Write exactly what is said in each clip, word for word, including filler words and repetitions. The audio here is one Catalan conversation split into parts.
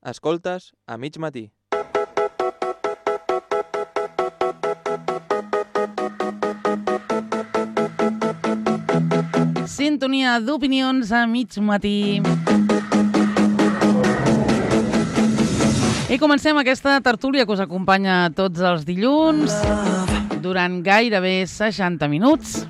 Escoltes a mig matí. Sintonia d'opinions a mig matí. I comencem aquesta tertúlia que us acompanya tots els dilluns durant gairebé seixanta minuts.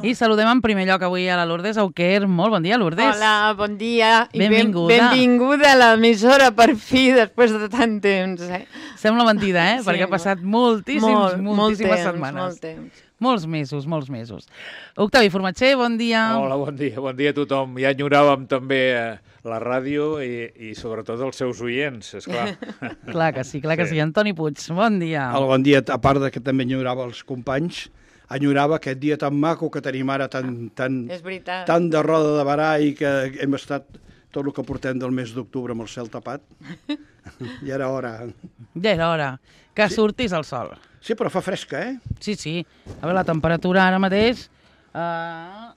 I saludem en primer lloc avui a la Lourdes Auquer. Molt bon dia, Lourdes. Hola, bon dia. I benvinguda. Ben, benvinguda a l'emissora per fi, després de tant temps. Eh? Sembla mentida, eh? Sí, Perquè ha passat moltíssims, molt, moltíssimes molt temps, setmanes. Molt temps. Molts mesos, molts mesos. Octavi Formatxer, bon dia. Hola, bon dia. Bon dia a tothom. Ja enyoràvem també la ràdio i, i sobretot els seus oients, esclar. Clar que sí, clar que sí. sí. Antoni Puig, bon dia. Hola, bon dia. A part de que també enyorava els companys, enyorava aquest dia tan maco que tenim ara, tan, tan, tan de roda de barà i que hem estat tot el que portem del mes d'octubre amb el cel tapat. Ja era hora. Ja era hora que sí. sortís el sol. Sí, però fa fresca, eh? Sí, sí. A veure, la temperatura ara mateix uh,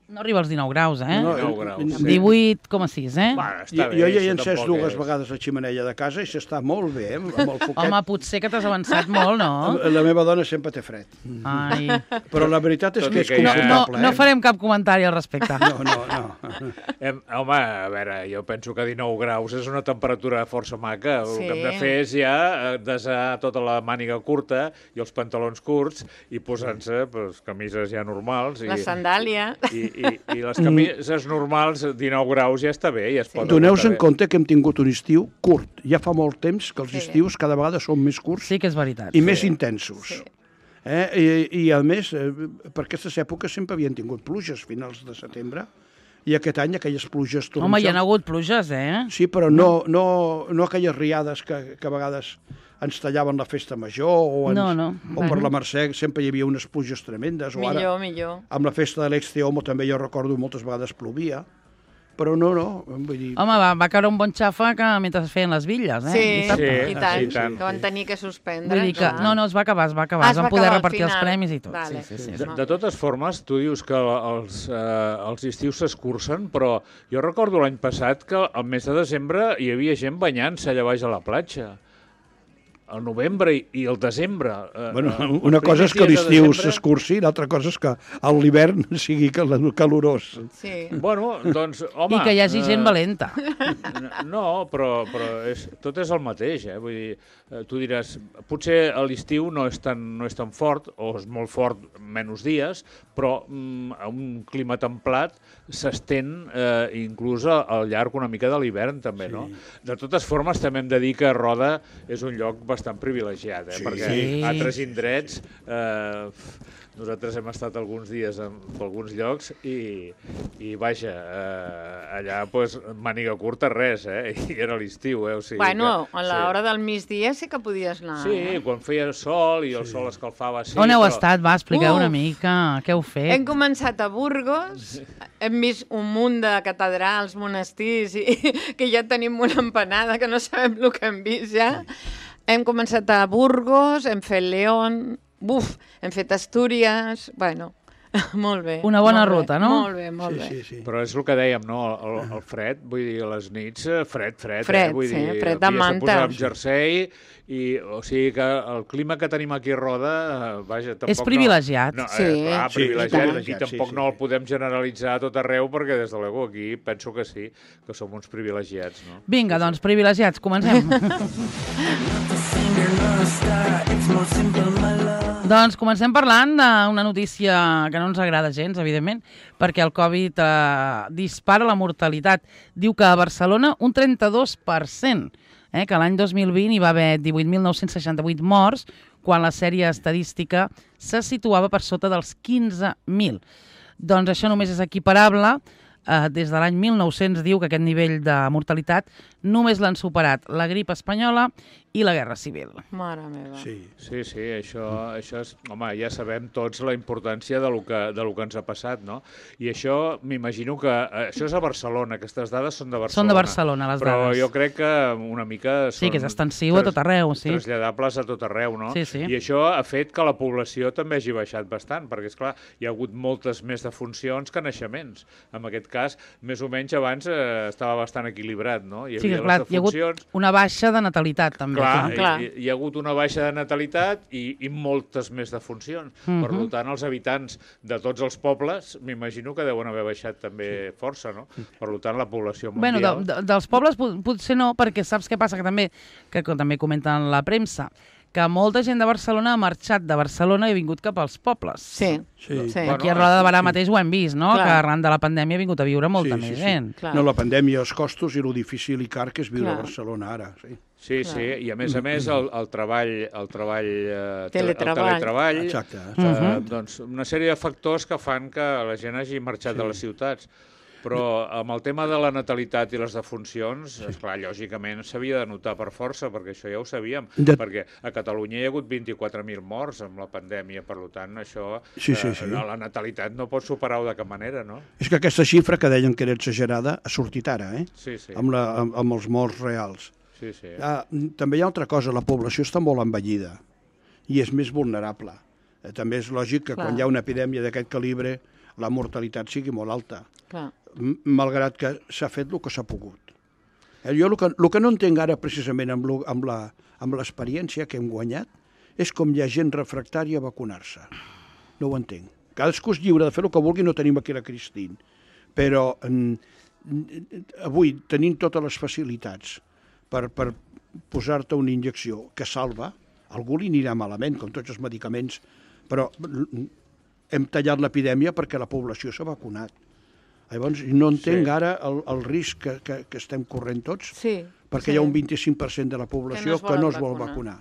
no arriba als dinou graus, eh? No, dinou graus. divuit coma sis, eh? Bueno, està jo, bé, jo ja he encès dues és. vegades la ximenella de casa i s'està molt bé, eh? Amb el foquet. Home, potser que t'has avançat molt, no? La meva dona sempre té fred. Ai. Però la veritat és Tot que i és que ja- confortable, No, no eh? farem cap comentari al respecte. No, no, no. Hem, home, a veure, jo penso que dinou graus és una temperatura força maca. El Sí. que hem de fer és ja eh, desar tota la màniga curta i els pantalons curts i posant-se pues, camises ja normals. I, La sandàlia. I, i, i les camises normals, dinou graus, ja està bé. Ja es pot Doneu-vos en aguantar bé. compte que hem tingut un estiu curt. Ja fa molt temps que els Sí. estius cada vegada són més curts Sí que és veritat. i més intensos. Sí. Eh? I, I, a més, eh, per aquestes èpoques sempre havien tingut pluges, finals de setembre, i aquest any aquelles pluges torrencials... Home, hi ha hagut pluges, eh? Sí, però no, no, no aquelles riades que, que a vegades ens tallaven la festa major o, ens, No, no. o per la Mercè sempre hi havia unes pluges tremendes. O ara, Millor, millor. amb la festa de l'Exteomo també jo recordo moltes vegades plovia. Però no, no, vull dir... Home, va, va caure un bon xafa que mentre es feien les bitlles, eh? Sí, Dissabte. i tant, sí, i tant. que van tenir que suspendre. Vull dir que... clar. No, no, es va acabar, es va acabar. Ah, es es van va poder acabar al repartir els final. premis i tot. Vale. Sí, sí, sí. De, de totes formes, tu dius que els, eh, els estius s'escurcen, però jo recordo l'any passat que al mes de desembre hi havia gent banyant-se allà baix a la platja. Al novembre i, i el desembre. Eh, Bueno, eh, una els cosa és primers que dies de l'estiu desembre- s'escurci, l'altra cosa és que a l'hivern sigui cal- calorós. Sí. Bueno, doncs, home... I que hi hagi gent eh, valenta. No, però, però és, tot és el mateix, eh? Vull dir, eh, tu diràs, potser a l'estiu no, és tan, no és tan fort, o és molt fort menys dies, però mm, a un clima templat s'estén eh, inclús al llarg una mica de l'hivern, també, sí. no? De totes formes, també hem de dir que Roda és un lloc bastant privilegiat, eh? Sí. Perquè Sí. altres indrets... Eh, nosaltres hem estat alguns dies en, en alguns llocs i, i vaja, eh, allà pues, màniga curta res, eh? I era l'estiu, eh? O sigui Bueno, que, a l'hora del migdia sí que podies anar. Sí, eh? quan feia sol i el sol escalfava, sí. On heu però... estat? Va, expliqueu Uf. una mica. Què heu fet? Hem començat a Burgos, hem vist un munt de catedrals, monestirs, i que ja tenim una empanada que no sabem el que hem vist ja. Hem començat a Burgos, hem fet León, buf, hem fet Astúries, bueno, molt bé. Una bona molt bé, ruta, no? Molt bé, molt Sí, bé. sí, sí. Però és el que dèiem, no? El, el fred, vull dir, a les nits, eh, fred, fred. Fred, eh? Vull sí, dir, fred de havies manta. posar amb jersei, i, o sigui que el clima que tenim aquí a Roda, eh, vaja, tampoc... És privilegiat. No, no, Sí. eh, clar, Sí, privilegiat, i tant. i tampoc Sí, sí. no el podem generalitzar a tot arreu, perquè des de l'ego aquí penso que sí, que som uns privilegiats, no? Vinga, doncs, privilegiats, comencem. Doncs comencem parlant d'una notícia que no ens agrada gens, evidentment, perquè el Covid eh, dispara la mortalitat. Diu que a Barcelona un trenta-dos per cent, eh, que l'any dos mil vint hi va haver divuit mil nou-cents seixanta-vuit morts, quan la sèrie estadística se situava per sota dels quinze mil. Doncs això només és equiparable. Uh, des de l'any mil nou-cents diu que aquest nivell de mortalitat només l'han superat la grip espanyola i la Guerra Civil. Mare meva. Sí, sí, sí això, això és... Home, ja sabem tots la importància de lo que, de lo que ens ha passat, no? I això, m'imagino que... Això és a Barcelona, aquestes dades són de Barcelona. Són de Barcelona, les però dades. Però jo crec que una mica són... Sí, que és extensiu a tot arreu, sí. Traslladables a tot arreu, no? Sí, sí. I això ha fet que la població també hagi baixat bastant, perquè, esclar, hi ha hagut moltes més defuncions que naixements. En aquest cas, més o menys abans eh, estava bastant equilibrat, no? Hi sí, clar, hi ha hagut una baixa de natalitat, també. Clar, clar. Hi, hi ha hagut una baixa de natalitat i, i moltes més defuncions. Uh-huh. Per tant, els habitants de tots els pobles, m'imagino que deuen haver baixat també sí. força, no? Per tant, la població mundial... Bueno, de, de, dels pobles potser no, perquè saps què passa? Que també, que també comenten la premsa, que molta gent de Barcelona ha marxat de Barcelona i ha vingut cap als pobles. Sí. sí. sí. Aquí a Roda de Barà sí. mateix ho hem vist, no? Clar. Que arran de la pandèmia ha vingut a viure molta sí, més sí, gent. Sí. No, la pandèmia, els costos i lo difícil i car que és viure Clar. a Barcelona ara. Sí, sí, sí. I a més a més el, el treball, el treball, eh, teletreball, el teletreball exacte, eh, uh-huh. doncs una sèrie de factors que fan que la gent hagi marxat sí. de les ciutats. Però amb el tema de la natalitat i les defuncions, sí. esclar, lògicament s'havia de notar per força, perquè això ja ho sabíem, de... perquè a Catalunya hi ha hagut vint-i-quatre mil morts amb la pandèmia, per tant, això, sí, sí, sí. Eh, la natalitat no pot superar-ho de cap manera, no? És que aquesta xifra que deien que era exagerada ha sortit ara, eh? Sí, sí. Amb, la, amb, amb els morts reals. Sí, sí. Ah, també hi ha altra cosa, la població està molt envellida i és més vulnerable. Eh, també és lògic que Clar. quan hi ha una epidèmia d'aquest calibre la mortalitat sigui molt alta. Clar. Malgrat que s'ha fet el que s'ha pogut. Eh, jo el que, el que no entenc ara precisament amb, lo, amb, la, amb l'experiència que hem guanyat és com hi ha gent refractària a vacunar-se. No ho entenc. Cadascú és lliure de fer el que vulgui, no tenim aquí la Cristín. Però mm, avui, tenint totes les facilitats per, per posar-te una injecció que salva, algú li anirà malament, com tots els medicaments, però hem tallat l'epidèmia perquè la població s'ha vacunat. Llavors, no entenc sí. ara el, el risc que, que, que estem corrent tots, sí, perquè sí. hi ha un vint-i-cinc per cent de la població que no, que no es vol vacunar.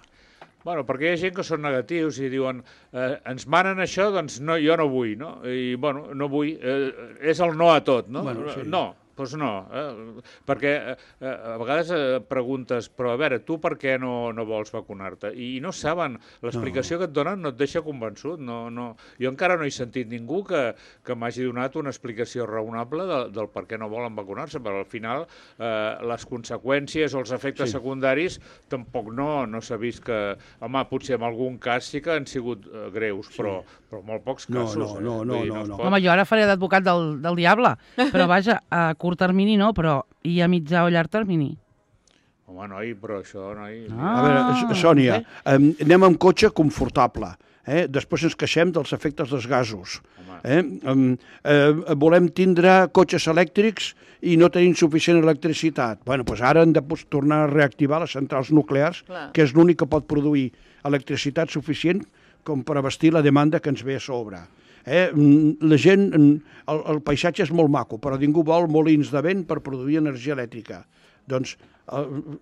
Bueno, perquè hi ha gent que són negatius i diuen eh, ens manen això, doncs no, jo no vull, no? I, bueno, no vull, eh, és el no a tot, no? Bueno, sí. No. Doncs no, eh? perquè eh, a vegades eh, preguntes, però a veure, tu per què no, no vols vacunar-te? I no saben, l'explicació no. que et donen no et deixa convençut. No, no. Jo encara no he sentit ningú que, que m'hagi donat una explicació raonable de, del per què no volen vacunar-se, però al final eh, les conseqüències o els efectes sí. secundaris tampoc no, no s'ha vist que... Home, potser en algun cas sí que han sigut eh, greus, sí. però, però molt pocs casos. No, no, no, eh? no, no, no. Home, jo ara faré d'advocat del, del diable, però vaja, a curt termini no, però i a mitjà o llarg termini? Home, noi, però això, noi... Ah, a veure, Sònia, eh, anem amb cotxe confortable, eh? Després ens queixem dels efectes dels gasos. Eh? Eh, volem tindre cotxes elèctrics i no tenim suficient electricitat. Bueno, doncs ara hem de tornar a reactivar les centrals nuclears, Clar. que és l'únic que pot produir electricitat suficient com per abastir la demanda que ens ve a sobre. Eh? La gent, el, el paisatge és molt maco, però ningú vol molins de vent per produir energia elèctrica. Doncs,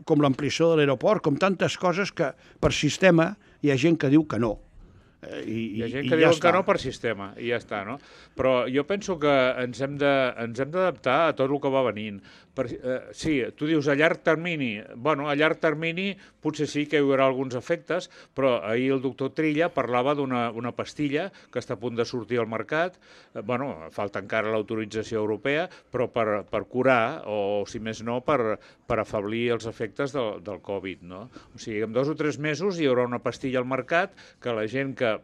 com l'ampliació de l'aeroport, com tantes coses que per sistema hi ha gent que diu que no. I, hi ha gent que diuen que no per sistema, i ja està, no? Però jo penso que ens hem de, ens hem d'adaptar a tot el que va venint. Per, eh, sí, tu dius a llarg termini. Bueno, a llarg termini potser sí que hi haurà alguns efectes, però ahir el doctor Trilla parlava d'una una pastilla que està a punt de sortir al mercat. Eh, bueno, falta encara l'autorització europea, però per, per curar, o si més no, per, per afeblir els efectes del, del Covid, no? O sigui, en dos o tres mesos hi haurà una pastilla al mercat que la gent que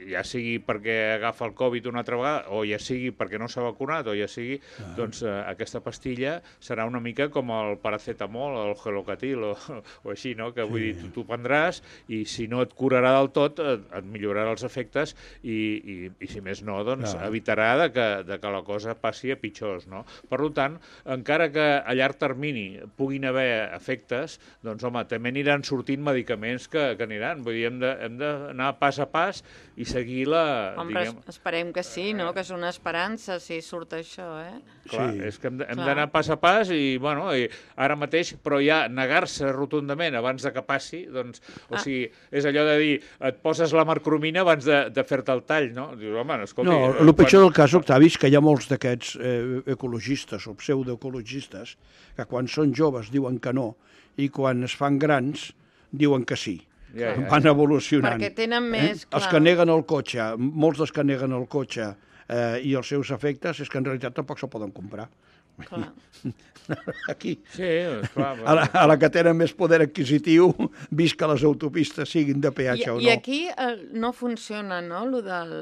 ja sigui perquè agafa el Covid una altra vegada, o ja sigui perquè no s'ha vacunat, o ja sigui, ah. doncs eh, aquesta pastilla serà una mica com el paracetamol, el gelocatil, o, o així, no? Que vull sí. dir, tu, tu prendràs, i si no et curarà del tot, et, et millorarà els efectes, i, i, i si més no, doncs ah. evitarà de que, de que la cosa passi a pitjors, no? Per tant, encara que a llarg termini puguin haver efectes, doncs, home, també aniran sortint medicaments que, que aniran. Vull dir, hem de, hem d'anar pas a pas i seguir la... Home, diguem... esperem que sí, no? Que és una esperança si surt això, eh? Clar, sí. és que hem d'anar pas a pas i, bueno, i ara mateix, però ja negar-se rotundament abans de que passi, doncs, o ah. sigui, és allò de dir, et poses la marcromina abans de, de fer-te el tall, no? Dius, home, no, escolti... No, el pitjor quan... del cas, Octavi, és que hi ha molts d'aquests eh, ecologistes o pseudoecologistes que quan són joves diuen que no, i quan es fan grans diuen que sí. Ja, ja, ja. Van evolucionant. Perquè tenen més, eh? clar. Els que neguen el cotxe, molts dels que neguen el cotxe eh, i els seus efectes, és que en realitat tampoc se'l poden comprar. Clar. Aquí. Sí, clar. A la, a la que tenen més poder adquisitiu, vist que les autopistes siguin de peatge I, o no. I aquí eh, no funciona, no?, el del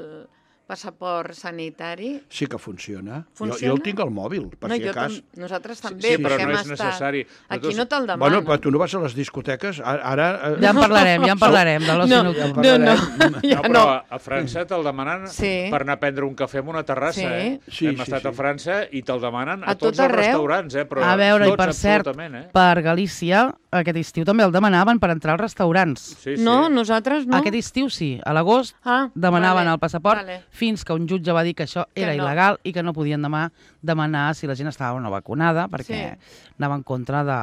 passaport sanitari. Sí que funciona. Funciona? Jo, jo el tinc al mòbil, per no, si jo cas. tam nosaltres també, sí, però perquè no hem és estat... necessari. Aquí Nosaltres- no te'l demanen. Bueno, però tu no vas a les discoteques? Ara... eh, Ja en parlarem, ja en parlarem de l'oci No, nocturn. no, no, ja No, però no. a França te'l demanen Sí. per anar a prendre un cafè en una terrassa, Sí. eh? Sí, Hem sí, estat sí. a França i te'l demanen a, A tots tot els arreu. restaurants, eh? Però A veure, i tots, per cert, absolutament, eh? per Galícia, aquest estiu també el demanaven per entrar als restaurants. Sí, sí. No, nosaltres no. Aquest estiu sí, a l'agost Ah, demanaven vale, el passaport vale. fins que un jutge va dir que això Que era no. il·legal i que no podien demà demanar si la gent estava o no vacunada perquè Sí. anava en contra de,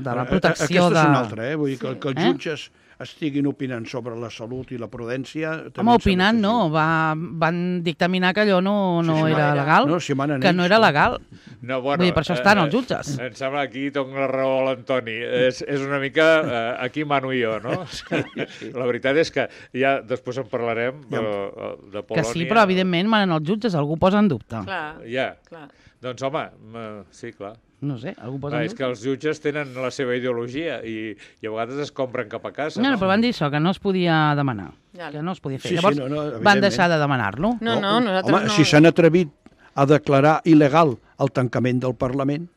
de la Eh, protecció Aquesta de... és una altra, eh? Vull dir que, Sí. que els Eh? jutges estiguin opinant sobre la salut i la prudència... també Home, em sembla opinant que no, sí. va, van dictaminar que allò no, no Sí, sí, era no era. legal, No, si manen que ells, no era no. legal. No, bueno, Vull dir, per això estan eh, els jutges. Em sembla que aquí tinc la raó a l'Antoni. És, és una mica... Eh, aquí mano jo, no? La veritat és que ja després en parlarem de, de Polònia. Que sí, però evidentment manen els jutges, algú posa en dubte. Clar, Ja. clar. Doncs home, m- sí, clar. No sé, algú posa Clar, en és dubte. que els jutges tenen la seva ideologia i, i a vegades es compren cap a casa. No, No, no, però van dir això, que no es podia demanar. Ja. Que no es podia fer. Sí, sí, Llavors no, no, van evidentment. deixar de demanar-lo. No, no, nosaltres Home, no... si s'han atrevit a declarar il·legal el tancament del Parlament,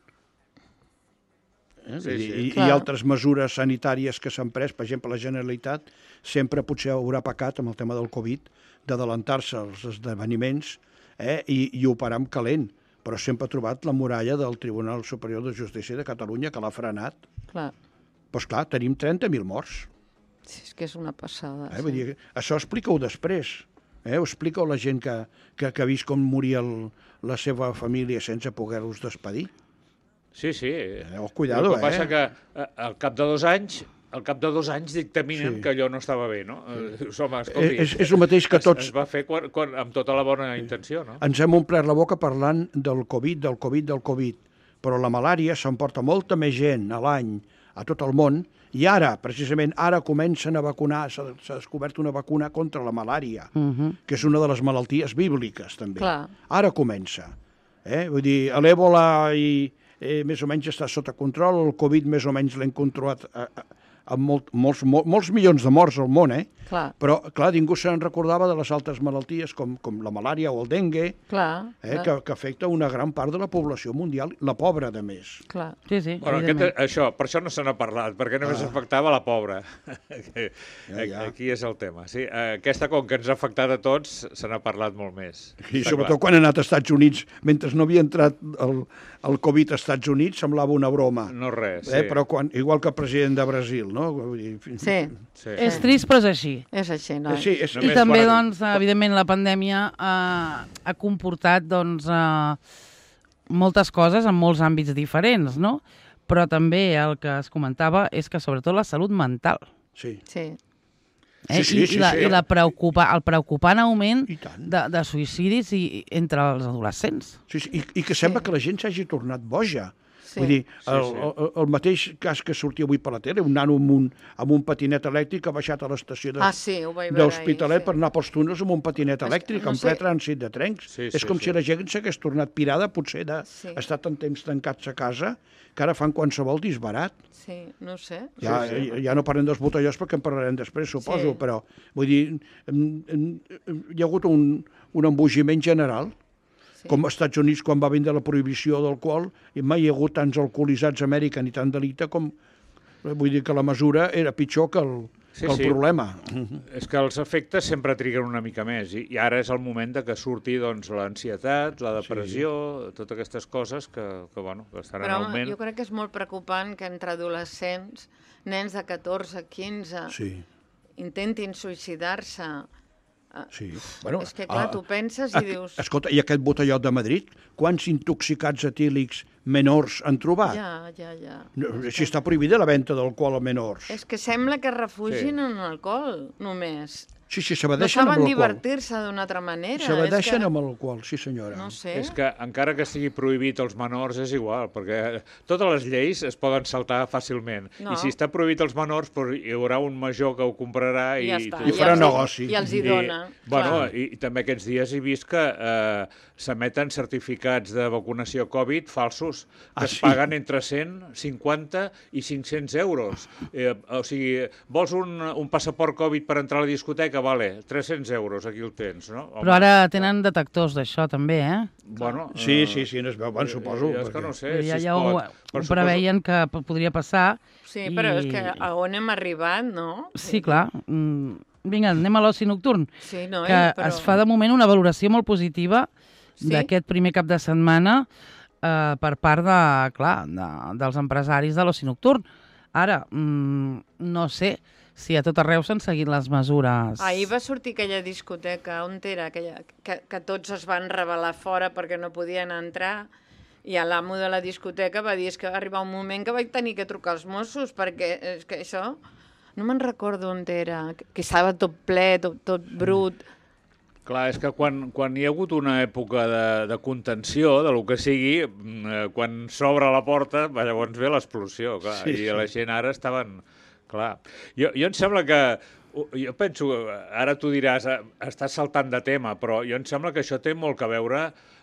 eh? Sí, I, sí. i, i Clar. altres mesures sanitàries que s'han pres, per exemple, la Generalitat sempre potser haurà pecat amb el tema del Covid d'adelantar-se als esdeveniments eh? I, i operar amb calent, però sempre ha trobat la muralla del Tribunal Superior de Justícia de Catalunya que l'ha frenat. Clar. Doncs clar, tenim trenta mil morts. Sí, és que és una passada. Eh? Vull dir, això explica-ho després. Eh? Ho explica la gent que, que, que ha vist com moria el, la seva família sense poder-los despedir. Sí, sí. Eh, oh, cuidado, El que passa eh? que eh, al cap de dos anys al cap de dos anys dictaminen Sí. que allò no estava bé, no? Eh, Dius, home, escolti, Eh, és, és el mateix que es, tots es va fer quan, quan, amb tota la bona intenció, no? ens hem omplert la boca parlant del Covid, del Covid, del Covid, però la malària s'emporta molta més gent a l'any a tot el món i ara, precisament, ara comencen a vacunar, s'ha s'ha descobert una vacuna contra la malària, Uh -huh. que és una de les malalties bíbliques, també. Clar. Ara comença. Eh? Vull dir, l'èbola i, eh, més o menys està sota control, el Covid més o menys l'hem controlat eh, amb molt, molts, molts, molts milions de morts al món, eh? Clar, Però, clar, ningú se'n recordava de les altres malalties com, com la malària o el dengue, clar, eh, clar, que, que afecta una gran part de la població mundial, la pobra, de més. clar. Sí, sí, Bueno, aquest, evidentment. això, per això no se n'ha parlat, perquè només Ah. afectava la pobra. Ja, ja. Aquí és el tema. Sí, aquesta, com que ens ha afectat a tots, se n'ha parlat molt més. I Està sobretot clar. quan ha anat als Estats Units, mentre no havia entrat el, el Covid als Estats Units, semblava una broma. No res, sí. Eh? Però quan, igual que el president de Brasil, no? Vull dir, Sí, sí. És trist, però és així. és així, Eh, noi. Sí, és, Només I també, quan- doncs, evidentment, la pandèmia ha, ha comportat, doncs, eh, moltes coses en molts àmbits diferents, no? Però també el que es comentava és que, sobretot, la salut mental. sí. Sí, Eh? Sí, sí, I, sí, i, la, sí. i la preocupa, el preocupant augment I tant. de, de suïcidis i, entre els adolescents. Sí, sí, i, i que sembla que la gent s'hagi tornat boja. Sí. Vull dir, el, Sí, sí. el, el mateix cas que sortia avui per la tele, un nano amb un, amb un patinet elèctric ha baixat a l'estació de, Ah, sí, ho vaig veure d'Hospitalet ahir, sí. per anar pels túnels amb un patinet que elèctric, no en sé- ple trànsit de trens. Sí, És sí, com sí. si la gent s'hagués tornat pirada, potser Sí. d'estar tant temps tancats a casa, que ara fan qualsevol disbarat. Sí, no sé. Ja, Sí, sí. ja no parlem dels botellós perquè en parlarem després, suposo, Sí. però vull dir, em, em, em, hi ha hagut un, un embogiment general, Sí. com als Estats Units quan va vindre la prohibició d'alcohol, i mai hi ha hagut tants alcoholitzats a Amèrica ni tant delicte com... Vull dir que la mesura era pitjor que el, Sí, que el sí. problema. És que els efectes sempre triguen una mica més i, i ara és el moment de que surti doncs, l'ansietat, la depressió, sí. totes aquestes coses que, que, bueno, que estan Però en home, augment. jo crec que és molt preocupant que entre adolescents, nens de catorze, quinze, Sí, intentin suïcidar-se. sí. Bueno, És que, clar, ah, tu penses ah, i dius... Escolta, i aquest botellot de Madrid, quants intoxicats etílics menors han trobat? Ja, ja, ja. No, si està prohibida la venda d'alcohol a menors. És que sembla que refugin Sí. en l'alcohol, només. Sí, sí, s'abadeixen no amb saben l'alcohol. divertir-se d'una altra manera. S'abadeixen que... amb l'alcohol, sí senyora. No sé. És que encara que estigui prohibit als menors és igual, perquè totes les lleis es poden saltar fàcilment. No. I si està prohibit als menors, doncs hi haurà un major que ho comprarà i, I, ja està. I farà els, negoci. I els hi dona. I, bueno, i, i també aquests dies he vist que eh, s'emeten certificats de vacunació Covid falsos, que Ah, es sí? paguen entre cent cinquanta i cinc-cents euros. Eh, o sigui, vols un, un passaport Covid per entrar a la discoteca? Vale, tres-cents euros, aquí el tens, no? Home, Però ara tenen detectors d'això, també, eh? Bueno, Sí, eh, sí, sí, no es veu, bueno, suposo. Jo és que perquè- no sé Ja, si es ja ho, pot. ho però preveien que p- podria passar. Sí, però i- és que a on hem arribat, no? Sí, clar. Mm, vinga, anem a l'oci nocturn, Sí, no, que però... es fa de moment una valoració molt positiva Sí? d'aquest primer cap de setmana eh, per part de, clar, de, dels empresaris de l'oci nocturn. Ara, mm, no sé si a tot arreu s'han seguit les mesures. Ahir va sortir aquella discoteca, on era? Aquella, que, que tots es van rebel·lar fora perquè no podien entrar, i l'amo de la discoteca va dir és que va arribar un moment que vaig tenir que trucar als Mossos, perquè és que això... No me'n recordo on era, que, que estava tot ple, tot, tot brut. Clar, és que quan, quan hi ha hagut una època de, de contenció, de lo que sigui, mm, eh, quan s'obre la porta, va, llavors ve l'explosió, clar, Sí, i sí. la gent ara estaven... Clar, jo, jo em sembla que... Jo penso, ara tu diràs, eh, estàs saltant de tema, però jo em sembla que això té molt que veure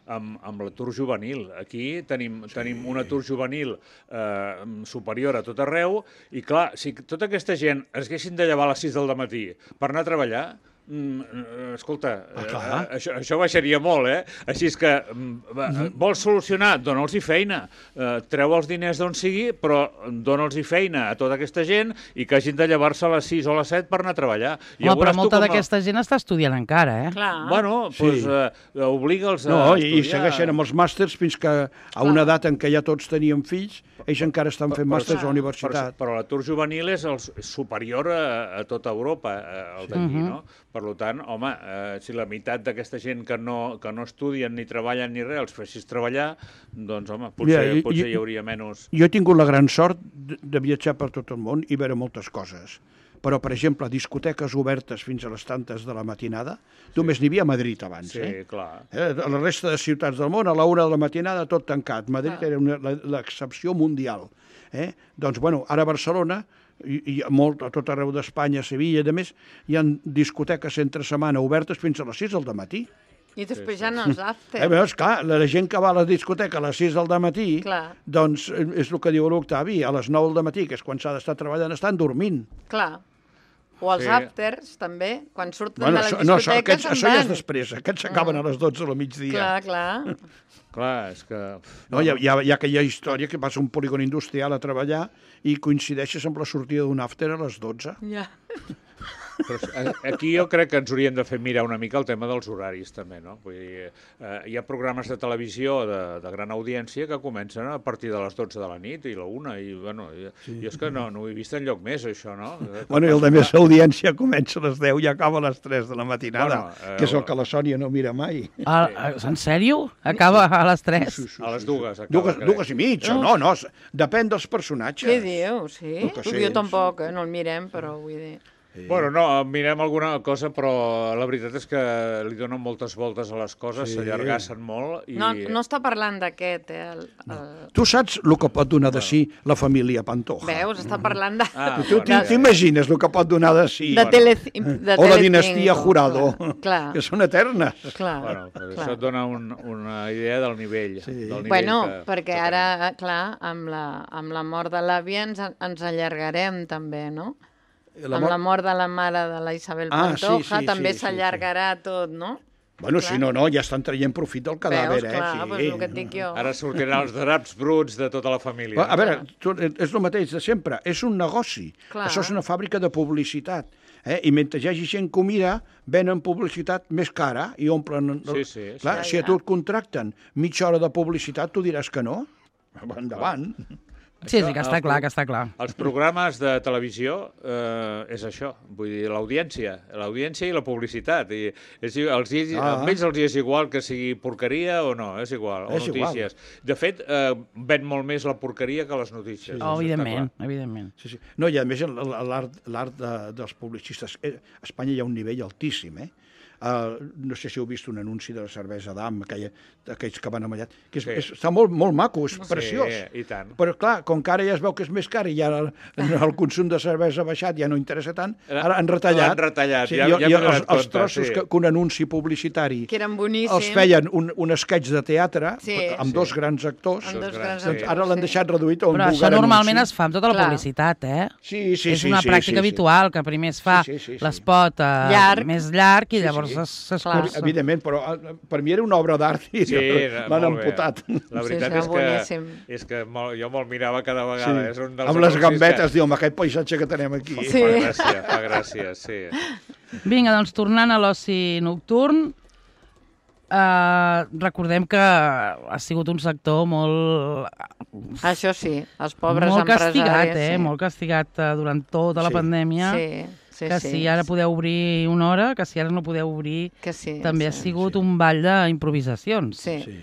amb, amb l'atur juvenil. Aquí tenim, sí. tenim un atur juvenil eh, superior a tot arreu, i clar, si tota aquesta gent es haguessin de llevar a les sis del matí per anar a treballar, Mm, escolta, Ah, clar. eh, això, això baixaria molt, eh? Així és que mm, va, vols solucionar, dona'ls-hi feina, eh, treu els diners d'on sigui, però dona'ls-hi feina a tota aquesta gent i que hagin de llevar-se a les sis o a les set per anar a treballar. I Home, però veuràs tu molta com a- d'aquesta gent està estudiant encara, eh? Clar. Bueno, Sí. doncs eh, obliga'ls a No, i, i estudiar. segueixen amb els màsters fins que a una edat en què ja tots teníem fills, ells encara estan fent màsters a la universitat. Però, però l'atur juvenil és el superior a, a tota Europa, eh, el d'aquí, Mhm. no? Per tant, home, eh, si la meitat d'aquesta gent que no, que no estudien ni treballen ni res els fessis treballar, doncs, home, potser, Mira, i- potser i- hi hauria menys... Jo he tingut la gran sort de, de viatjar per tot el món i veure moltes coses. Però, per exemple, discoteques obertes fins a les tantes de la matinada, només n'hi havia a Madrid abans, Sí, eh? clar. Eh, a la resta de ciutats del món, a la una de la matinada, tot tancat. Madrid Clar. era una- la- l'excepció mundial. Eh? Doncs, bueno, ara a Barcelona, i, i a, molt, a tot arreu d'Espanya, a Sevilla, i a més, hi ha discoteques entre setmana obertes fins a les sis del matí. I després ja no els after. Eh, veus, clar, la gent que va a la discoteca a les sis del matí, Clar. doncs eh, és el que diu l'Octavi, a les nou del matí, que és quan s'ha d'estar treballant, estan dormint. Clar. O els Sí. afters, també. Quan surten Bueno, de la això, discoteca no, això, aquests, se'n això ja és van. després, aquests s'acaben a les dotze del migdia. Clar, clar. Clar, és que... No, hi, ha, hi, ha, hi ha aquella història que vas a un polígon industrial a treballar i coincideixes amb la sortida d'un after a les dotze. Ja. Però a- aquí jo crec que ens hauríem de fer mirar una mica el tema dels horaris, també, no? Vull dir, eh, hi ha programes de televisió de, de gran audiència que comencen a partir de les dotze de la nit i la una, i, bueno, i, sí. jo és que no, no ho he vist enlloc més, això, no? Bueno, i el de més audiència comença a les deu i acaba a les tres de la matinada, Bueno, eh, que és el que la Sònia no mira mai. Ah, en sèrio? Acaba a les tres? A les dues acaba, Dues, crec. dues i mitja, no, no, s- depèn dels personatges. Què diu? Sí? El que sé, Jo tampoc, eh? no el mirem, però vull dir... Bueno, no, mirem alguna cosa, però la veritat és que li donen moltes voltes a les coses, Sí. s'allargassen molt i... No, no està parlant d'aquest, eh? El, el... Tu saps el que pot donar de si la família Pantoja? Veus? Està parlant de... Ah, Tu bueno, t- ja, ja. t'imagines el que pot donar de si? de, tele, de O la Telecinco. dinastia Jurado, Clar, que són eternes. clar. Bueno, però clar. això et dona un, una idea del nivell. Sí. Del nivell Bueno, que, perquè que ara, clar, amb la, amb la mort de l'àvia ens, ens allargarem també, no? La amb mort- la mort de la mare de la Isabel Ah, sí, Pantoja sí, també sí, sí, s'allargarà tot, no? Bueno, Clar. si no, no, ja estan traient profit del cadàver, Veus, eh? clar, sí. doncs el que et dic jo. Ara sortiran els draps bruts de tota la família. A veure, tu, és el mateix de sempre, és un negoci. Clar. Això és una fàbrica de publicitat. Eh? I mentre hi hagi gent que ho mira, venen publicitat més cara i omplen... Sí, sí, sí. Clar, Ja, si a ja. tu et contracten mitja hora de publicitat, tu diràs que no. Endavant. Sí, sí, que està clar, que està clar. Els programes de televisió eh, és això, vull dir, l'audiència, l'audiència i la publicitat. I és, els, ah. Amb ells els és igual que sigui porqueria o no, és igual, o és notícies. Igual. De fet, eh, ven molt més la porqueria que les notícies. Sí, oh, evidentment, evidentment. Sí, sí. No, i a més l'art de, dels publicistes, a Espanya hi ha un nivell altíssim, eh? Uh, no sé si heu vist un anunci de la cervesa d'Am, aquells que van amallat, que és, sí. és, està molt, molt maco, és sí, preciós. I tant. Però clar, com que ara ja es veu que és més car i ja el, el consum de cervesa ha baixat, ja no interessa tant, ara han retallat. Han retallat, sí, ja, jo, ja jo, m'he els, donat els trossos sí. que, que un anunci publicitari que eren boníssims. Els feien un, un sketch de teatre sí. amb sí. dos grans actors, amb dos grans doncs ara l'han deixat reduït a un Però vulgar això normalment anunci. es fa amb tota la Clar. publicitat, eh? Sí, sí, és sí, una sí, pràctica sí, sí. habitual, que primer es fa sí, sí, sí, sí. l'espot eh, llarg. més llarg i Sí, llavors sí. s'escurça. Evidentment, però per mi era una obra d'art i sí, l'han amputat. La veritat sí, sí, és, que, és que molt, jo me'l mirava cada vegada. Sí. És un dels amb les gambetes, que... diu, amb aquest paisatge que tenim aquí. Sí. Fa gràcia, fa gràcia, sí. Vinga, doncs tornant a l'oci nocturn, eh, recordem que ha sigut un sector molt... Això sí, els pobres molt empresaris... castigat, eh? Sí. Molt castigat eh, durant tota la Sí. pandèmia. Sí, sí, que sí, si ara sí. podeu obrir una hora, que si ara no podeu obrir, que sí, també sí. ha sigut sí. un ball d'improvisacions. Sí. Sí.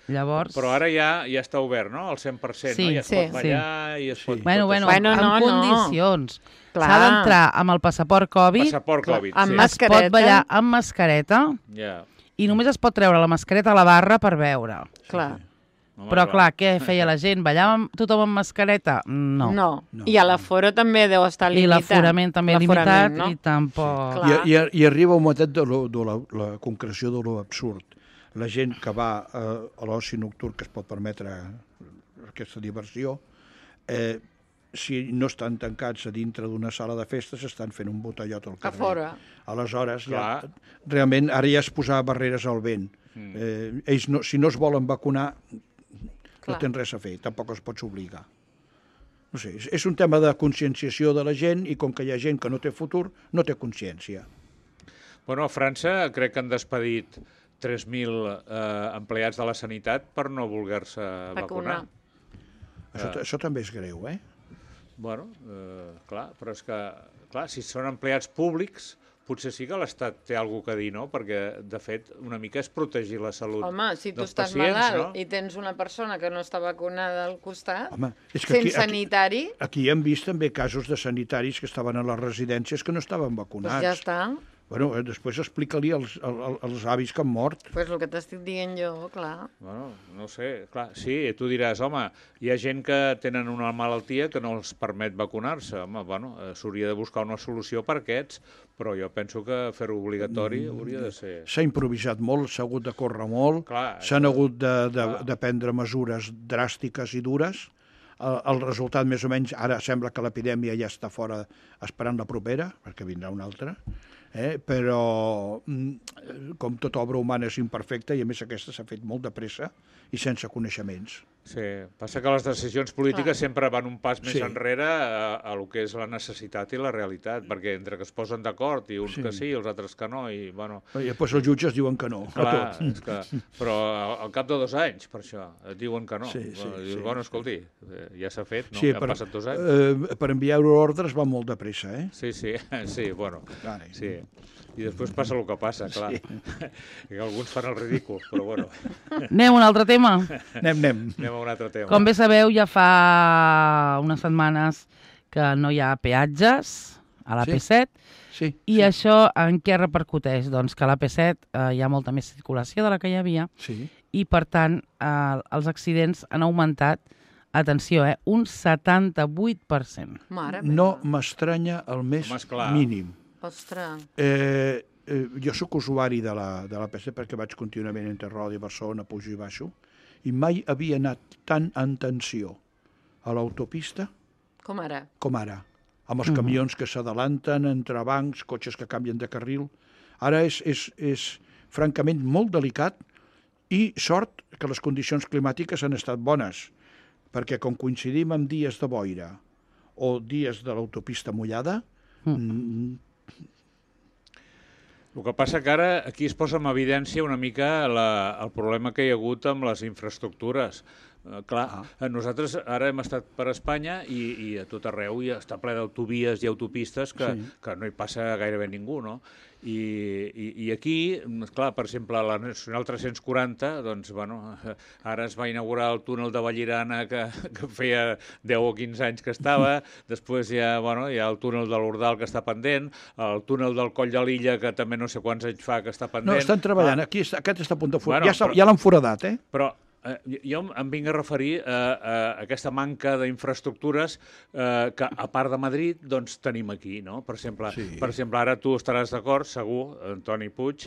Llavors... Però ara ja ja està obert, no?, al cent per cent, Sí, no? Ja es sí. pot ballar i es pot... Sí. Bueno, tot bueno, això. Bueno, amb no, no. condicions. Clar. S'ha d'entrar amb el passaport Covid, Passaport Clar, Covid, amb sí. mas- es pot mascareta. ballar amb mascareta Ja. i només es pot treure la mascareta a la barra per veure. Clar. Home, Però clar, què feia la gent? Ballava amb tothom amb mascareta? No. No. No. I a l'aforo també deu estar I limitat. l'aforament també L'aforament, limitat no? i tampoc... Clar. I, i, I arriba un moment de, lo, de la, la concreció de lo absurd. La gent que va eh, a l'oci nocturn, que es pot permetre aquesta diversió, eh, si no estan tancats a dintre d'una sala de festes, estan fent un botellot al carrer. A fora. Aleshores, ja, Clar. realment, ara ja es posava barreres al vent. Mm. Eh, ells, no, si no es volen vacunar, Clar. no tenen res a fer, tampoc els pots obligar. No sé, és, és un tema de conscienciació de la gent i com que hi ha gent que no té futur, no té consciència. Bueno, a França crec que han despedit tres mil eh, empleats de la sanitat per no voler-se vacunar. Vacunar. Això, Ah. això també és greu, eh? Bueno, eh, clar, però és que, clar, si són empleats públics, potser sí que l'Estat té alguna cosa a dir, no? Perquè, de fet, una mica és protegir la salut Home, si tu dels estàs pacients, malalt no? i tens una persona que no està vacunada al costat, Home, és que fent aquí- aquí- sanitari, Aquí hem vist també casos de sanitaris que estaven a les residències que no estaven doncs vacunats. ja està. Bueno, eh, després explica-li als, als, als avis que han mort. Doncs pues el que t'estic dient jo, clar. Bueno, no sé, clar, sí, tu diràs, home, hi ha gent que tenen una malaltia que no els permet vacunar-se. Home, bueno, eh, s'hauria de buscar una solució per aquests, però jo penso que fer-ho obligatori mm. hauria de ser... S'ha improvisat molt, s'ha hagut de córrer molt, Clar, s'han això- hagut de, de, clar. de prendre mesures dràstiques i dures. El, el resultat, més o menys, ara sembla que l'epidèmia ja està fora esperant la propera, perquè vindrà una altra, eh? Però mm, com tota obra humana és imperfecta i a més aquesta s'ha fet molt de pressa i sense coneixements. Sí, passa que les decisions polítiques Clar. sempre van un pas més Sí. enrere a, a lo que és la necessitat i la realitat, perquè entre que es posen d'acord i uns Sí. que sí i els altres que no, i bueno... I després els jutges diuen que no, a Clar, tot. és que, però al, al cap de dos anys, per això, et diuen que no. Sí, sí, Bueno, dius, sí. bueno, escolti, eh, ja s'ha fet, no? Sí, Ja han passat dos anys. eh, per enviar ordres va molt de pressa, eh? Sí, sí, sí, bueno, Carai. sí. I després passa el que passa, clar. Sí. Que alguns fan el ridícul, però bueno, Anem a un altre tema. Anem, anem. anem a un altre tema. Com bé sabeu, ja fa unes setmanes que no hi ha peatges a la Sí. P set. Sí, I sí. això en què repercuteix? Doncs que a la P set eh, hi ha molta més circulació de la que hi havia sí. i, per tant, eh, els accidents han augmentat, atenció, eh, un setanta-vuit per cent. Mare No meva. m'estranya el més Home, esclar. mínim. Ostres. Eh, eh, jo sóc usuari de la, de la P set perquè vaig contínuament entre Roda i Barcelona, pujo i baixo, i mai havia anat tan en tensió a l'autopista Com ara? com ara, amb els camions que s'adalanten, entrebancs, cotxes que canvien de carril. Ara és, és, és francament molt delicat i sort que les condicions climàtiques han estat bones, perquè com coincidim amb dies de boira o dies de l'autopista mullada, mm. El que passa que ara aquí es posa en evidència una mica la, el problema que hi ha hagut amb les infraestructures. Uh, clar, ah. nosaltres ara hem estat per Espanya i, i a tot arreu ja està ple d'autovies i autopistes que, sí. que no hi passa gairebé ningú, no? I, i, i aquí, clar, per exemple, la Nacional tres-cents quaranta, doncs, bueno, ara es va inaugurar el túnel de Vallirana que, que feia deu o quinze anys que estava, després hi ha, bueno, hi ha el túnel de l'Ordal que està pendent, el túnel del Coll de l'Illa que també no sé quants anys fa que està pendent. No, estan treballant, ah. aquí està, aquest està a punt de forat, bueno, ja, ja l'han foradat, eh? Però jo em vinc a referir a, a aquesta manca d'infraestructures eh, que, a part de Madrid, doncs tenim aquí, no? Per exemple, sí. per exemple ara tu estaràs d'acord, segur, Antoni Puig,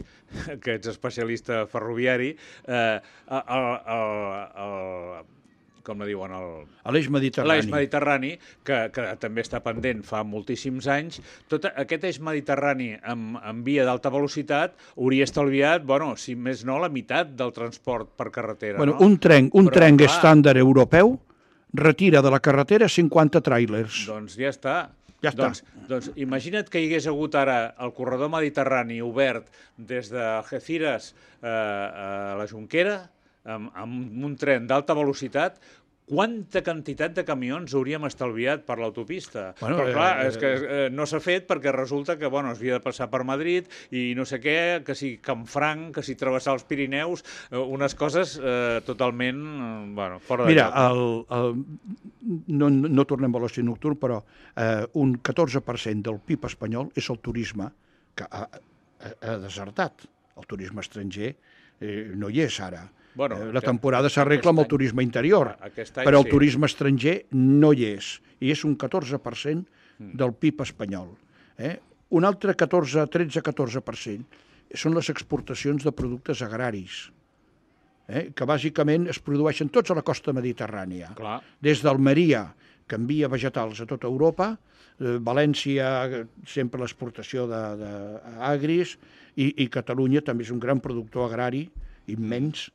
que ets especialista ferroviari, eh, el, el, el, com la diuen, l'eix mediterrani, l'eix mediterrani que, que també està pendent fa moltíssims anys. Tot aquest eix mediterrani amb, amb via d'alta velocitat hauria estalviat, bueno, si més no, la meitat del transport per carretera. Bueno, no? un tren, un Però, tren clar, estàndard europeu retira de la carretera cinquanta tràilers. Doncs ja està. Ja està. Doncs, doncs imagina't que hi hagués hagut ara el corredor mediterrani obert des de Algeciras eh, a la Jonquera, amb, amb un tren d'alta velocitat, quanta quantitat de camions hauríem estalviat per l'autopista. Bueno, Però clar, eh, és que eh, no s'ha fet perquè resulta que bueno, es havia de passar per Madrid i no sé què, que si Canfranc, que si travessar els Pirineus, eh, unes coses eh, totalment eh, bueno, fora de Mira, lloc. El, el, no, no tornem a l'oci nocturn, però eh, un catorze per cent del P I B espanyol és el turisme, que ha, ha, ha desertat. El turisme estranger eh, no hi és ara. Bueno, la temporada s'arregla amb el turisme interior, però el sí. turisme estranger no hi és, i és un catorze per cent del P I B espanyol. Eh? Un altre catorze, tretze a catorze per cent són les exportacions de productes agraris, eh? que bàsicament es produeixen tots a la costa mediterrània. Clar. Des d'Almeria, que envia vegetals a tota Europa, eh, València, sempre l'exportació d'agris, i, i Catalunya també és un gran productor agrari, immens,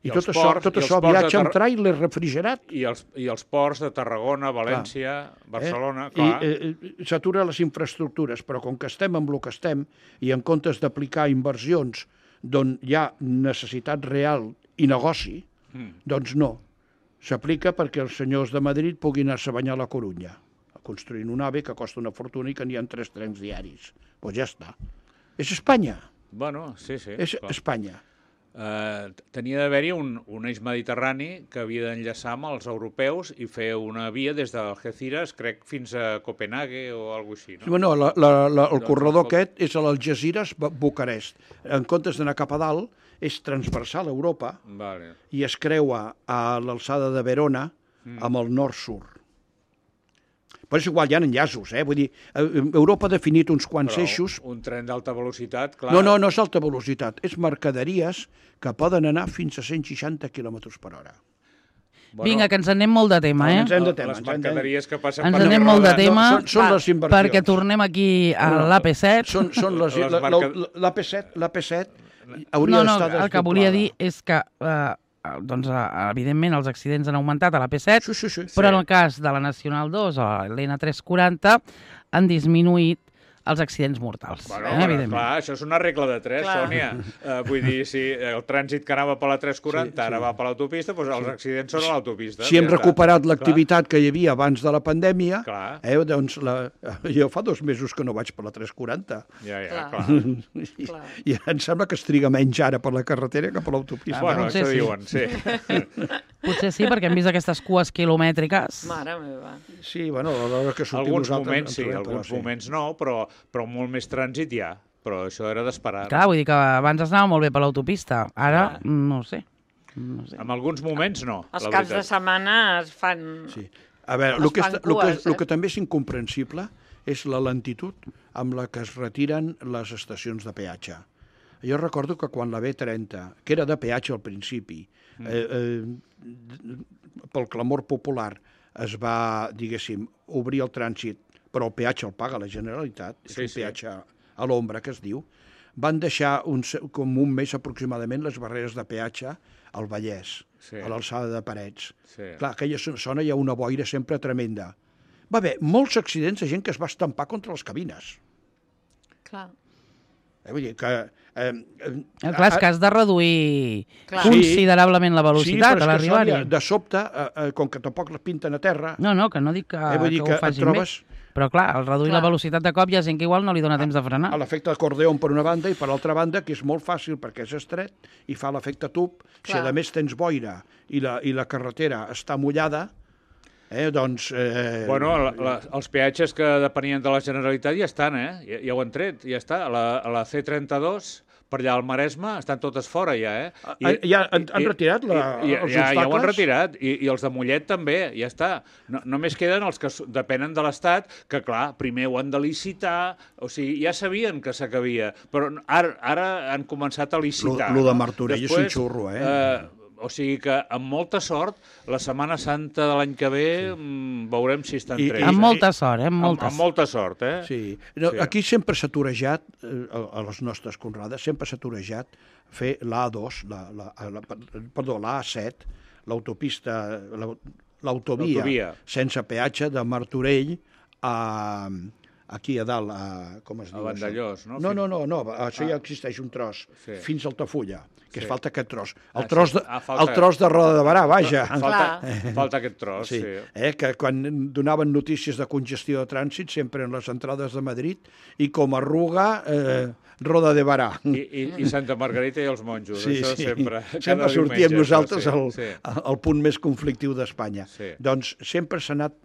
i, I tot això, ports, tot això viatja amb tràiler refrigerat. I els, I els ports de Tarragona, València, clar. Barcelona, eh? clar. I eh, s'atura les infraestructures, però com que estem amb el que estem, i en comptes d'aplicar inversions d'on hi ha necessitat real i negoci, mm. doncs no. S'aplica perquè els senyors de Madrid puguin anar-se a banyar a la Corunya, construint un AVE que costa una fortuna i que n'hi ha tres trens diaris. Doncs pues ja està. És Espanya. Bueno, sí, sí. És clar. Espanya. Uh, tenia d'haver-hi un, un eix mediterrani que havia d'enllaçar amb els europeus i fer una via des d'Algeciras, crec, fins a Copenhague o alguna cosa així, no? Bueno, la, la, la, el doncs, corredor el... aquest és a l'Algeciras, Bucarest. En comptes d'anar cap a dalt, és transversal a Europa vale. i es creua a l'alçada de Verona mm. amb el nord-sud. Però és igual, hi ha enllaços, eh? Vull dir, Europa ha definit uns quants Però eixos... un tren d'alta velocitat, clar... No, no, no és alta velocitat, és mercaderies que poden anar fins a cent seixanta quilòmetres per hora. Bueno, Vinga, que ens anem molt de tema, eh? Ens anem de tema. Les mercaderies que passen ens per anem molt de tema, no, són, són les inversions. Perquè tornem aquí a no, l'A P set. Són, són les, les marca... l'A P set, l'A P set hauria no, no, d'estar desdoblada. El que volia dir és que... Eh, doncs, evidentment, els accidents han augmentat a l'A P set, sí, sí, sí. però sí. en el cas de la Nacional dos, o l'N tres quaranta, han disminuït els accidents mortals, bueno, eh, bueno, evidentment. Clar, això és una regla de tres, clar. Sònia. Uh, vull dir, si el trànsit que anava per la tres quaranta sí, sí. ara va per l'autopista, doncs els accidents són a l'autopista. Si hem ja recuperat l'activitat que hi havia abans de la pandèmia, eh, doncs la... jo fa dos mesos que no vaig per la tres quaranta. Ja, ja, clar. clar. I, I em sembla que es triga menys ara per la carretera que per l'autopista. Ah, bueno, això sí. diuen, sí. Potser sí, perquè hem vist aquestes cues quilomètriques. Mare meva. Sí, bueno, a l'hora que sortim alguns nosaltres... Moments, sí, alguns sí. moments no, però, però molt més trànsit hi ha. Però això era d'esperar. Clar, vull dir que abans es anava molt bé per l'autopista. Ara, ah. no sé. no sé. En alguns moments no. Els caps de setmana es fan... Sí. A veure, el que, és, cues, que, eh? el que també és incomprensible és la lentitud amb la que es retiren les estacions de peatge. Jo recordo que quan la B trenta, que era de peatge al principi, mm. eh, eh, pel clamor popular es va, diguéssim, obrir el trànsit, però el peatge el paga la Generalitat, és sí, un peatge sí. a l'ombra, que es diu, van deixar un, com un mes aproximadament les barreres de peatge al Vallès, sí. a l'alçada de Parets. Sí. Clar, aquella zona hi ha una boira sempre tremenda. Va haver molts accidents de gent que es va estampar contra les cabines. Clar. Eh, vull dir que... Eh, eh, clar, és que has de reduir clar. considerablement la velocitat sí, a l'arribar-hi. De sobte, eh, com que tampoc les pinten a terra... No, no, que no dic que, eh, que, que ho facin trobes... més. Però clar, al reduir clar. la velocitat de cop hi ha gent que igual no li dona temps de frenar. A l'efecte acordeon per una banda i per l'altra banda, que és molt fàcil perquè és estret i fa l'efecte tub. Clar. Si a més tens boira i la, i la carretera està mullada, eh, doncs... Eh... Bueno, la, la, els peatges que depenien de la Generalitat ja estan, eh? Ja, ja ho han tret, ja està. A la, a la C trenta-dos... per allà al Maresme estan totes fora ja, eh? I, ja han, han retirat la, i, els ja, obstacles? Ja ho han retirat, I, i els de Mollet també, ja està. No, només queden els que depenen de l'Estat, que clar, primer ho han de licitar, o sigui, ja sabien que s'acabia, però ara, ara han començat a licitar. Lo de Martorell és un xurro, eh? eh O sigui que, amb molta sort, la Setmana Santa de l'any que ve sí. veurem si estan I, tres. Amb molta sort, eh? Amb molta, amb, amb molta sort, eh? Sí. No, sí. Aquí sempre s'ha torejat, eh, a les nostres conrades, sempre s'ha torejat fer l'A dos, la, la, la, perdó, l'A set, l'autopista, l'autovia sense peatge de Martorell a... aquí a dalt, a, com es diu? A Vandellós, no? No, no, no, no, això ah. ja existeix un tros, sí. fins a Altafulla, que sí. es falta aquest tros. El, ah, tros, de, sí. ah, falta... el tros de Roda de Barà, vaja. Falta, falta aquest tros, sí. sí. Eh, que quan donaven notícies de congestió de trànsit, sempre en les entrades de Madrid, i com a Ruga, eh, Roda de Barà. I, i, I Santa Margarita i els monjos, sí, això sí. sempre. Sempre sortíem nosaltres sí, al, sí. al punt més conflictiu d'Espanya. Sí. Doncs sempre s'ha anat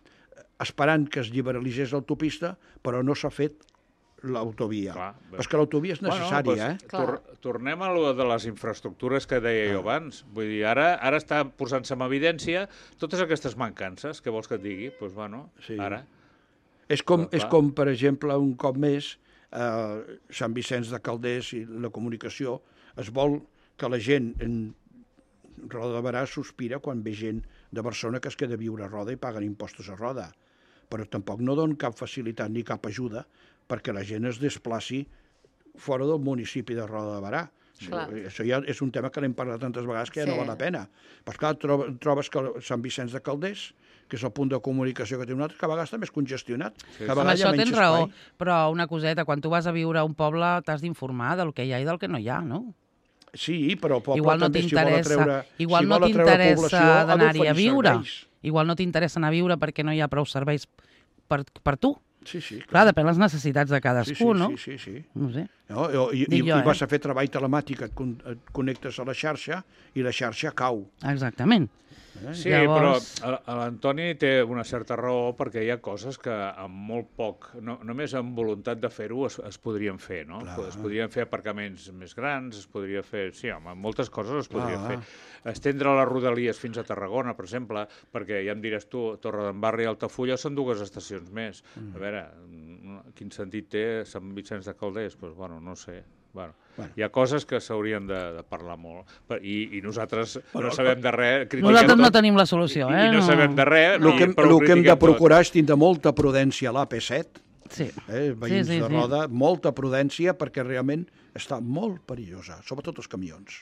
esperant que es liberalitzés l'autopista, però no s'ha fet l'autovia. És que l'autovia és necessària, bueno, pues, eh? Tor tornem a lo de les infraestructures que deia jo abans. Vull dir, ara, ara està posant-se en evidència totes aquestes mancances, que vols que et digui? Doncs, pues, bueno, sí. ara... És com, és com, per exemple, un cop més, eh, Sant Vicenç de Calders i la comunicació, es vol que la gent en Roda de Barà sospira quan ve gent de Barcelona que es queda a viure a Roda i paguen impostos a Roda. Però tampoc no donen cap facilitat ni cap ajuda perquè la gent es desplaci fora del municipi de Roda de Barà. Clar. Això ja és un tema que l'hem parlat tantes vegades que ja sí. no val la pena. Però clar, trobes que Sant Vicenç de Calders, que és el punt de comunicació que té un altre, que a vegades està més congestionat. Sí. Amb això tens raó, però una coseta, quan tu vas a viure a un poble t'has d'informar del que hi ha i del que no hi ha, no? Sí, però el poble igual no també, si vol atreure, igual si no t'interessa d'anar-hi a viure. Serveis. Igual no t'interessa anar a viure perquè no hi ha prou serveis per, per tu. Sí, sí, clar. clar, depèn de les necessitats de cadascú, sí, sí, no? Sí, sí, sí. No sé. No, i, i, jo, i vas eh? a fer treball telemàtic, et, con et connectes a la xarxa i la xarxa cau. Exactament. Eh? Sí, Llavors... però l'Antoni té una certa raó perquè hi ha coses que amb molt poc, no, només amb voluntat de fer-ho es, es podrien fer, no? Clar. Es podrien fer aparcaments més grans, es podria fer... Sí, home, moltes coses es podria Clar. fer. Estendre les rodalies fins a Tarragona, per exemple, perquè ja em diràs tu, Torredembarra i Altafulla són dues estacions més. Mm. A veure, quin sentit té Sant Vicenç de Calders? Doncs, bueno, no sé. Bueno, bueno. Hi ha coses que s'haurien de, de parlar molt. I, i nosaltres bueno, no sabem de res. Nosaltres no tot, tenim la solució, eh? I, i no, no sabem de res. El que, el que hem de procurar tot. és tindre molta prudència a l'A P set. Sí. Eh, veïns sí, sí, de Roda, sí. molta prudència perquè realment està molt perillosa, sobretot els camions.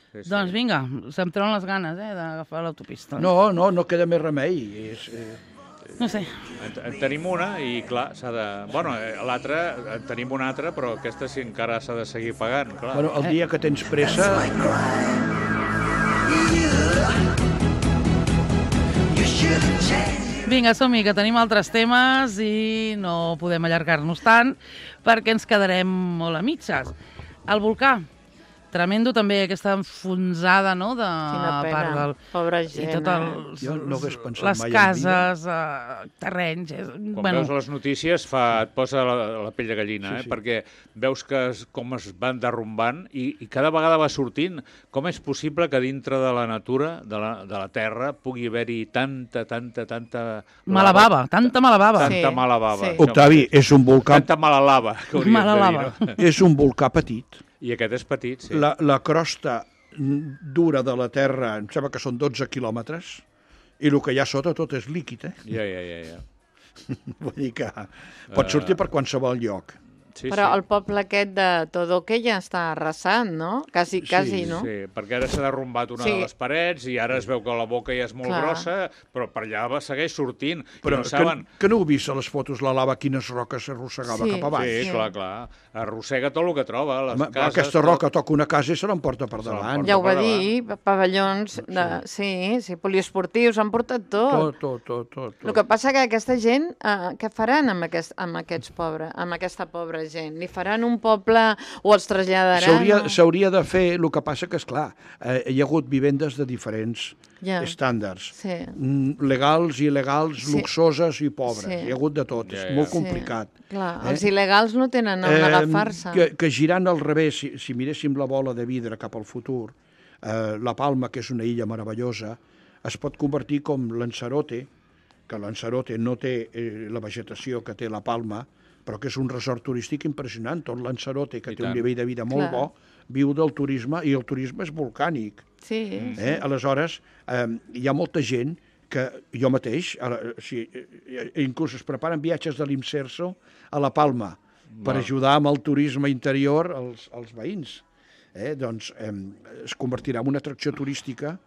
Sí, sí. Doncs vinga, se'm treuen les ganes eh, d'agafar l'autopista. No, no, no queda més remei. És, eh... No sé. En, en tenim una i, clar, s'ha de... Bueno, l'altra, en tenim una altra, però aquesta sí encara s'ha de seguir pagant, clar. Bueno, el dia que tens pressa... Vinga, som-hi, que tenim altres temes i no podem allargar-nos tant perquè ens quedarem molt a mitges. El volcà. Tremendo també aquesta enfonsada, no?, de part del... Pobra gent, i tot el, jo no hagués pensat les mai cases, uh, terrenys... És, Quan bueno. veus les notícies fa, et posa la, la pell de gallina, sí, eh? Sí. Perquè veus que es, com es van derrumbant i, i cada vegada va sortint. Com és possible que dintre de la natura, de la, de la terra, pugui haver-hi tanta, tanta, tanta... Mala bava, tanta mala bava. Tanta sí, mala bava. Sí. Octavi, és un volcà... Tanta mala lava, que hauries mala de dir, lava. no? És un volcà petit. I aquest és petit, sí. La, la crosta dura de la Terra, em sembla que són dotze quilòmetres, i el que hi ha sota tot és líquid, eh? Ja, ja, ja. ja. Vull dir que pot sortir uh... per qualsevol lloc. Sí, Però sí. el poble aquest de Todoque ja està arrasant, no? Quasi, quasi, Sí, no? Sí, perquè ara s'ha derrumbat una Sí. de les parets i ara es veu que la boca ja és molt Clar. grossa, però per allà va segueix sortint. Però I no que, saben... que no heu vist a les fotos la lava quines roques s'arrossegava Sí, cap avall? Sí, Sí. clar, clar. Arrossega tot el que troba, les Home, cases... aquesta tot. roca toca una casa i se l'emporta per Se davant. l'emporta. Ja ho va per dir, pavellons, de, sí, sí, poliesportius, han portat tot. Tot, tot, tot, tot. El que passa que aquesta gent, eh, què faran amb, aquest, amb aquests pobres, amb aquesta pobra gent? Li faran un poble o els traslladaran? S'hauria o- s'hauria de fer, el que passa que, és clar, eh, hi ha hagut vivendes de diferents Ja. estàndards. Sí. Mm, legals, il·legals, Sí. luxoses i pobres. Sí. Hi ha hagut de tot, Ja, és ja. molt Sí. complicat. Clar, Eh? els il·legals no tenen on agafar-se. que, que girant al revés, si, si miréssim la bola de vidre cap al futur, eh, la Palma, que és una illa meravellosa, es pot convertir com Lanzarote, que Lanzarote no té eh, la vegetació que té la Palma, però que és un resort turístic impressionant. Tot Lanzarote, que I té un tant. nivell de vida molt Clar. bo, viu del turisme, i el turisme és volcànic. Sí, Eh? Aleshores, eh, hi ha molta gent que jo mateix, ara, sí, eh, inclús es preparen viatges de l'Imserso a la Palma per ajudar amb el turisme interior als, als veïns. Eh? Doncs eh, es convertirà en una atracció turística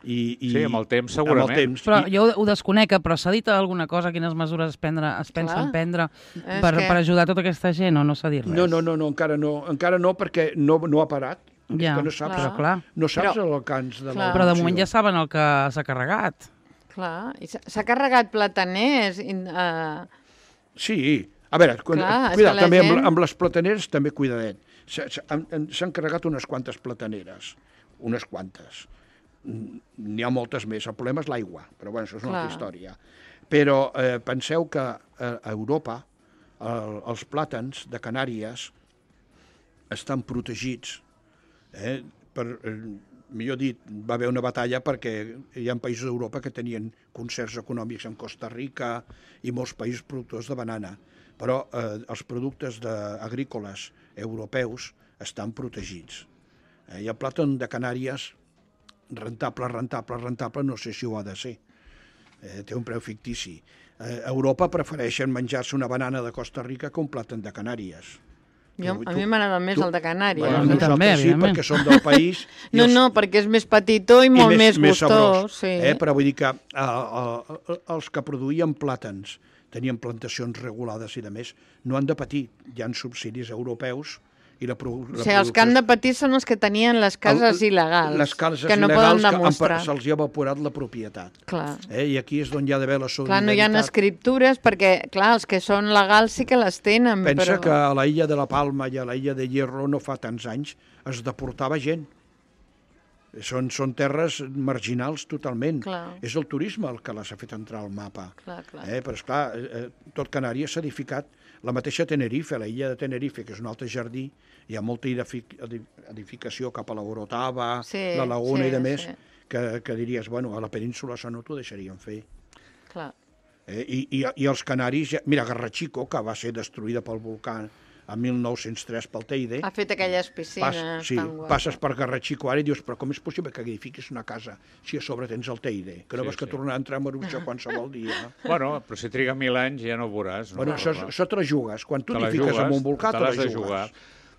i, i Sí, amb el temps, segurament. Amb el temps. Però I, jo ho desconec, però s'ha dit alguna cosa, quines mesures es, prendre, es pensen Clar. prendre És per, que- per ajudar tota aquesta gent, o no s'ha dit res? no, no, no, no, encara no, encara no, perquè no, no ha parat. Ja, És que no saps, però clar. no saps Però- l'alcance de clar. la Però de moment ja saben el que s'ha carregat. clar. I s'ha s'ha carregat plataners. i, Uh, Sí, a veure, quan, Clar, és cuida, que la també gent- amb, amb les plataneres també cuidadet. S'ha- s'ha- han- S'han carregat unes quantes plataneres, unes quantes. Mm, N'hi ha moltes més, el problema és l'aigua, però bueno, això és una Clar. altra història. Però eh, penseu que eh, a Europa el, els plàtans de Canàries estan protegits. Eh? Per, eh, millor dit, va haver una batalla perquè hi ha països d'Europa que tenien concerts econòmics amb Costa Rica i molts països productors de banana, però eh, els productes de, agrícoles europeus estan protegits. Eh, I el plàtan de Canàries, rentable, rentable, rentable, no sé si ho ha de ser. Eh, té un preu fictici. Eh, a Europa prefereixen menjar-se una banana de Costa Rica que un plàtan de Canàries. jo, Tu- a tu- mi m'agrada més tu- el de Canàries. Bueno, a eh? mi nosaltres també, sí, evidentment. perquè som del país. i No, els- no, perquè és més petitó i molt i més, més gustós. sabrós, Sí. eh? Però vull dir que eh, eh, els que produïen plàtans, tenien plantacions regulades i de més, no han de patir. Hi ha subsidis europeus i la, pro, la O sigui, els que han de patir són els que tenien les cases El- il·legals, les cases que no il·legals poden que han demostrar. per- se'ls hi ha evaporat la propietat. Clar. Eh? I aquí és on hi ha d'haver la Clar, solidaritat. no hi ha escriptures perquè, clar, els que són legals sí que les tenen, Pensa però... que a la illa de la Palma i a la illa de Hierro no fa tants anys es deportava gent. Són, són terres marginals totalment. Clar. És el turisme el que les ha fet entrar al mapa. Clar, clar. Eh? Però, esclar, eh, tot Canàries s'ha edificat. La mateixa Tenerife, la illa de Tenerife, que és un altre jardí, hi ha molta edific- edificació cap a la Orotava, Sí, la Laguna sí, i de més, sí. que, que diries, bueno, a la península això no t'ho deixarien fer. clar. Eh? I, i, I els canaris, ja, mira, Garrachico, que va ser destruïda pel volcà a mil nou-cents tres pel Teide, Ha fet aquelles piscines Pas, sí, tan guapes. passes per Garrachico ara i dius, però com és possible que edifiquis una casa si a sobre tens el Teide? Que no Sí, vas que sí. tornar a entrar a Maruja qualsevol dia. Bueno, però si triga mil anys ja no ho veuràs. No? Bueno, això, Però- això te la jugues. Quan tu Te t'hi la fiques jugues, en un volcà, te la l'has de jugues. jugar.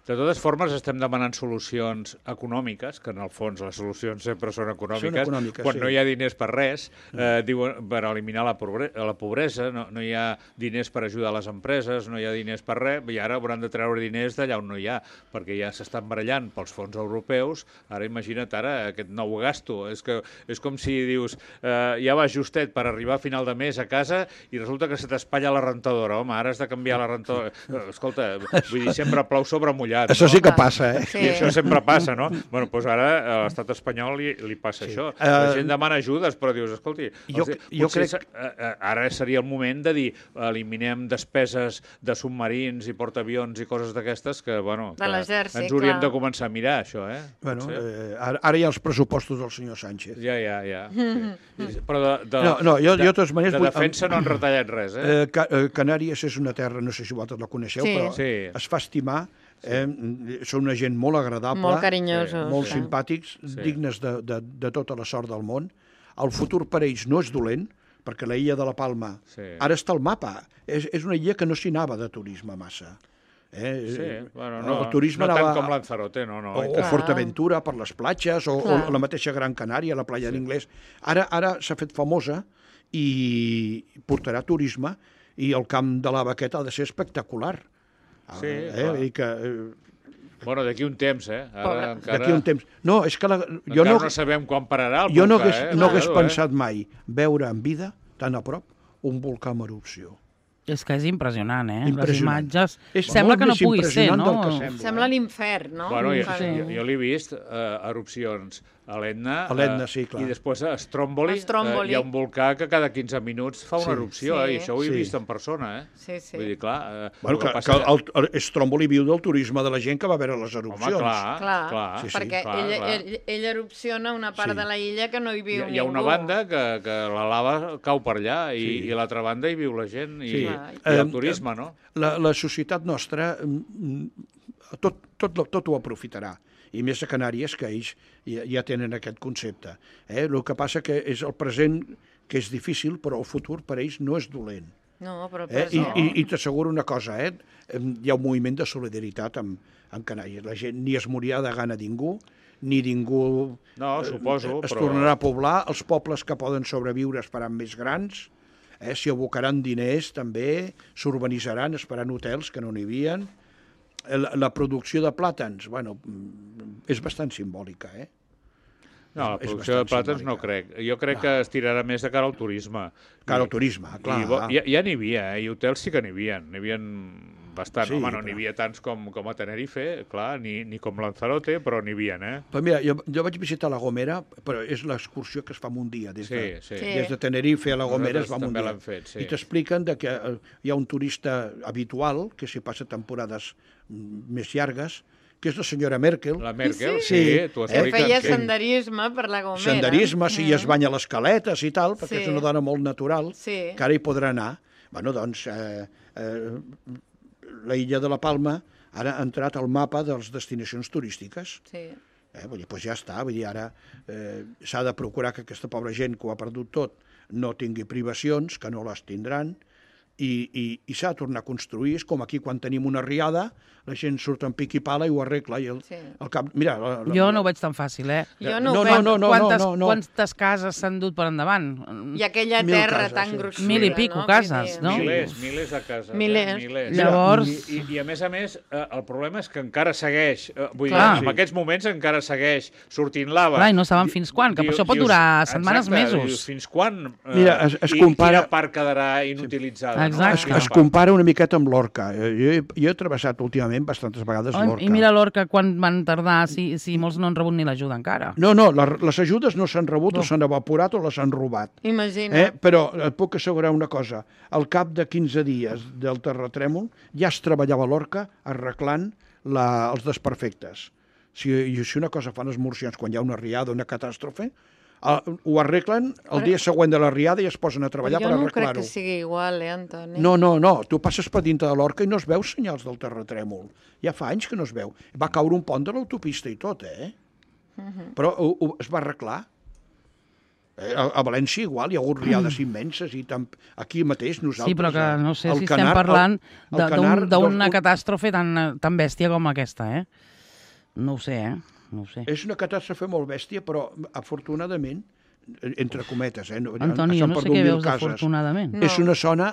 De totes formes, estem demanant solucions econòmiques, que en el fons les solucions sempre són econòmiques. Són econòmiques, quan sí. no hi ha diners per res, eh, diuen, per eliminar la, pobre, la pobresa, no, no hi ha diners per ajudar les empreses, no hi ha diners per res, i ara hauran de treure diners d'allà on no hi ha, perquè ja s'estan barallant pels fons europeus. Ara imagina't ara aquest nou gasto. És, que, és com si dius, eh, ja vas justet per arribar a final de mes a casa i resulta que se t'espatlla la rentadora. Home, ara has de canviar la rentadora. Eh, Escolta, vull dir, sempre plou sobre mullat. Això no? sí que passa, eh? Sí. I això sempre passa, no? Bueno, doncs ara a l'estat espanyol li, li passa Sí. això. Eh, La gent demana ajudes, però dius, escolti, Jo- els, jo potser crec- se- eh, eh, ara seria el moment de dir eliminem despeses de submarins i portaavions i coses d'aquestes que, bueno, De que l'exèrcit, ens hauríem clar. de començar a mirar, això, eh? Bueno, Potser. eh, ara, ara hi ha els pressupostos del senyor Sánchez. Ja, ja, ja. Sí. Però de, de, No, no, jo- de, jo de totes maneres de vull- defensa no han retallat res, eh? Eh, Ca eh, Canàries és una terra, no sé si vosaltres la coneixeu, Sí. però Sí. es fa estimar. Eh, són una gent molt agradable, Molt carinyosos. molt eh? simpàtics, Sí. dignes de, de, de tota la sort del món. El futur per ells no és dolent, perquè la illa de la Palma Sí. ara està al mapa. És, és una illa que no s'hi anava de turisme massa. Eh? Sí, bueno, no, el turisme no tant anava... com Lanzarote, no, no. O, o Fortaventura, per les platges, o, o la mateixa Gran Canària, la playa sí. d'Inglés. Ara ara s'ha fet famosa i portarà turisme, i el camp de la Baqueta ha de ser espectacular. Sí, eh? clar. I que... Eh... Bueno, d'aquí un temps, eh? Ara encara... D'aquí un temps. No, és que la... jo no... no sabem quan pararà el jo volcà, no hagués, eh? no hagués Claro, pensat eh? mai veure en vida, tan a prop, un volcà en erupció. És que és impressionant, eh? Impressionant. Les imatges... És sembla que no més pugui ser, no? Sembla, sembla eh? l'infern, no? Bueno, jo, Sí. jo, jo l'he vist, uh, erupcions a l'Etna, A l'Etna, uh, sí, clar. i després a Stromboli, A Stromboli. Uh, hi ha un volcà que cada quinze minuts fa una Sí. erupció, Sí. eh? I això ho he Sí. vist en persona, eh? Sí, sí. Vull dir, clar... Uh, Bueno, que, passa... que el, el Stromboli viu del turisme de la gent que va veure les erupcions. Home, clar, Clar, clar. Sí, sí. perquè clar, ell, clar. ell, ell erupciona una part Sí. de la illa que no hi Hi, viu ha- ningú. hi ha una banda que, que la lava cau per allà i, Sí. i l'altra banda hi viu la gent i, Sí. i el Eh, turisme, no? La, la societat nostra mm, tot, tot, tot ho aprofitarà. I més a Canàries, que ells ja, ja tenen aquest concepte. Eh? El que passa que és el present que és difícil, però el futur per ells no és dolent. No, però Eh? I, present. i, i t'asseguro una cosa, eh? Hi ha un moviment de solidaritat amb, amb Canàries. La gent ni es morirà de gana ningú, ni ningú No, suposo, es però... tornarà a poblar. Els pobles que poden sobreviure es faran més grans, eh? S'hi abocaran diners també, s'urbanitzaran, es faran hotels que no n'hi havia. La, la producció de plàtans, bueno, és bastant simbòlica, eh? No, la és producció de bastant plàtans no simbòlica. crec. Jo crec que es tirarà més de cara al turisme. Cara al I- turisme, clar. I, bo- ja ja n'hi havia, eh? I hotels sí que n'hi havia. N'hi havia bastant. Sí, Home, no però- n'hi havia tants com, com a Tenerife, clar, ni, ni com Lanzarote, però n'hi havia, eh? Però mira, jo, jo vaig visitar la Gomera, però és l'excursió que es fa en un dia. Des de, Sí, sí. Sí. des de Tenerife a la Gomera es Nosaltres va en un també dia. l'hem fet, sí. I t'expliquen de que eh, hi ha un turista habitual, que s'hi passa temporades mm, més llargues, que és la senyora Merkel. La Merkel, Sí. sí, Sí. t'ho Eh, Que expliques. feia que- senderisme per la Gomera. Senderisme, si es banya les caletes i tal, perquè Sí. és una dona molt natural, Sí. que ara hi podrà anar. Bueno, doncs, eh, eh, la illa de la Palma ara ha entrat al mapa de les destinacions turístiques. Sí. Eh? Vull dir, doncs ja està, vull dir, ara eh, s'ha de procurar que aquesta pobra gent que ho ha perdut tot no tingui privacions, que no les tindran, i, i, i s'ha de tornar a construir. És com aquí quan tenim una riada, la gent surt en pic i pala i ho arregla. I el, Sí. el cap, mira, la, la, Jo no ho veig tan fàcil, eh? Jo no, No, ho no, veig. no, no, quantes, no, no. quantes cases s'han dut per endavant? I aquella Mil terra cases, tan sí. gruixuda, Mil i pico no? cases, Vull dir, no? Milers, milers de cases. Milers. Eh? Milers. Llavors- I, i, I a més a més, eh, el problema és que encara segueix, eh, vull Clar. dir, en aquests moments encara segueix sortint lava. Clar, i no saben fins quan, que per això pot durar setmanes, mesos. Dius, fins quan? Eh, Mira, es- es i compara- quina part quedarà inutilitzada? Exacte. es, No? es compara una miqueta amb l'Orca. Jo, he- jo he travessat últimament bastantes vegades Ai, l'Orca. I mira l'Orca quan van tardar, si, si molts no han rebut ni l'ajuda encara. No, no, les, les ajudes no s'han rebut, no. o s'han evaporat o les han robat. Imagina. Eh? Però et puc assegurar una cosa. Al cap de quinze dies del terratrèmol ja es treballava a l'Orca arreglant la, els desperfectes. Si, i si una cosa fan els murcians quan hi ha una riada, una catàstrofe, eh, ho arreglen el dia següent de la riada i es posen a treballar jo per no crec arreglar-ho. que sigui igual, eh, Antoni? No, no, no. Tu passes per dintre de l'Orca i no es veu senyals del terratrèmol. Ja fa anys que no es veu. Va caure un pont de l'autopista i tot, eh? Uh -huh. Però ho, ho, es va arreglar. Eh, a, a València igual, hi ha hagut riades immenses i tam, aquí mateix nosaltres... Sí, però que eh, no sé el si Canar- estem parlant el- el de- Canar d'un- d'una dos- catàstrofe tan, tan bèstia com aquesta, eh? No ho sé, eh? No ho sé. És una catàstrofe molt bèstia, però afortunadament, entre cometes, eh? Antoni, jo s'han no sé perdut què mil veus cases. afortunadament. No. És una zona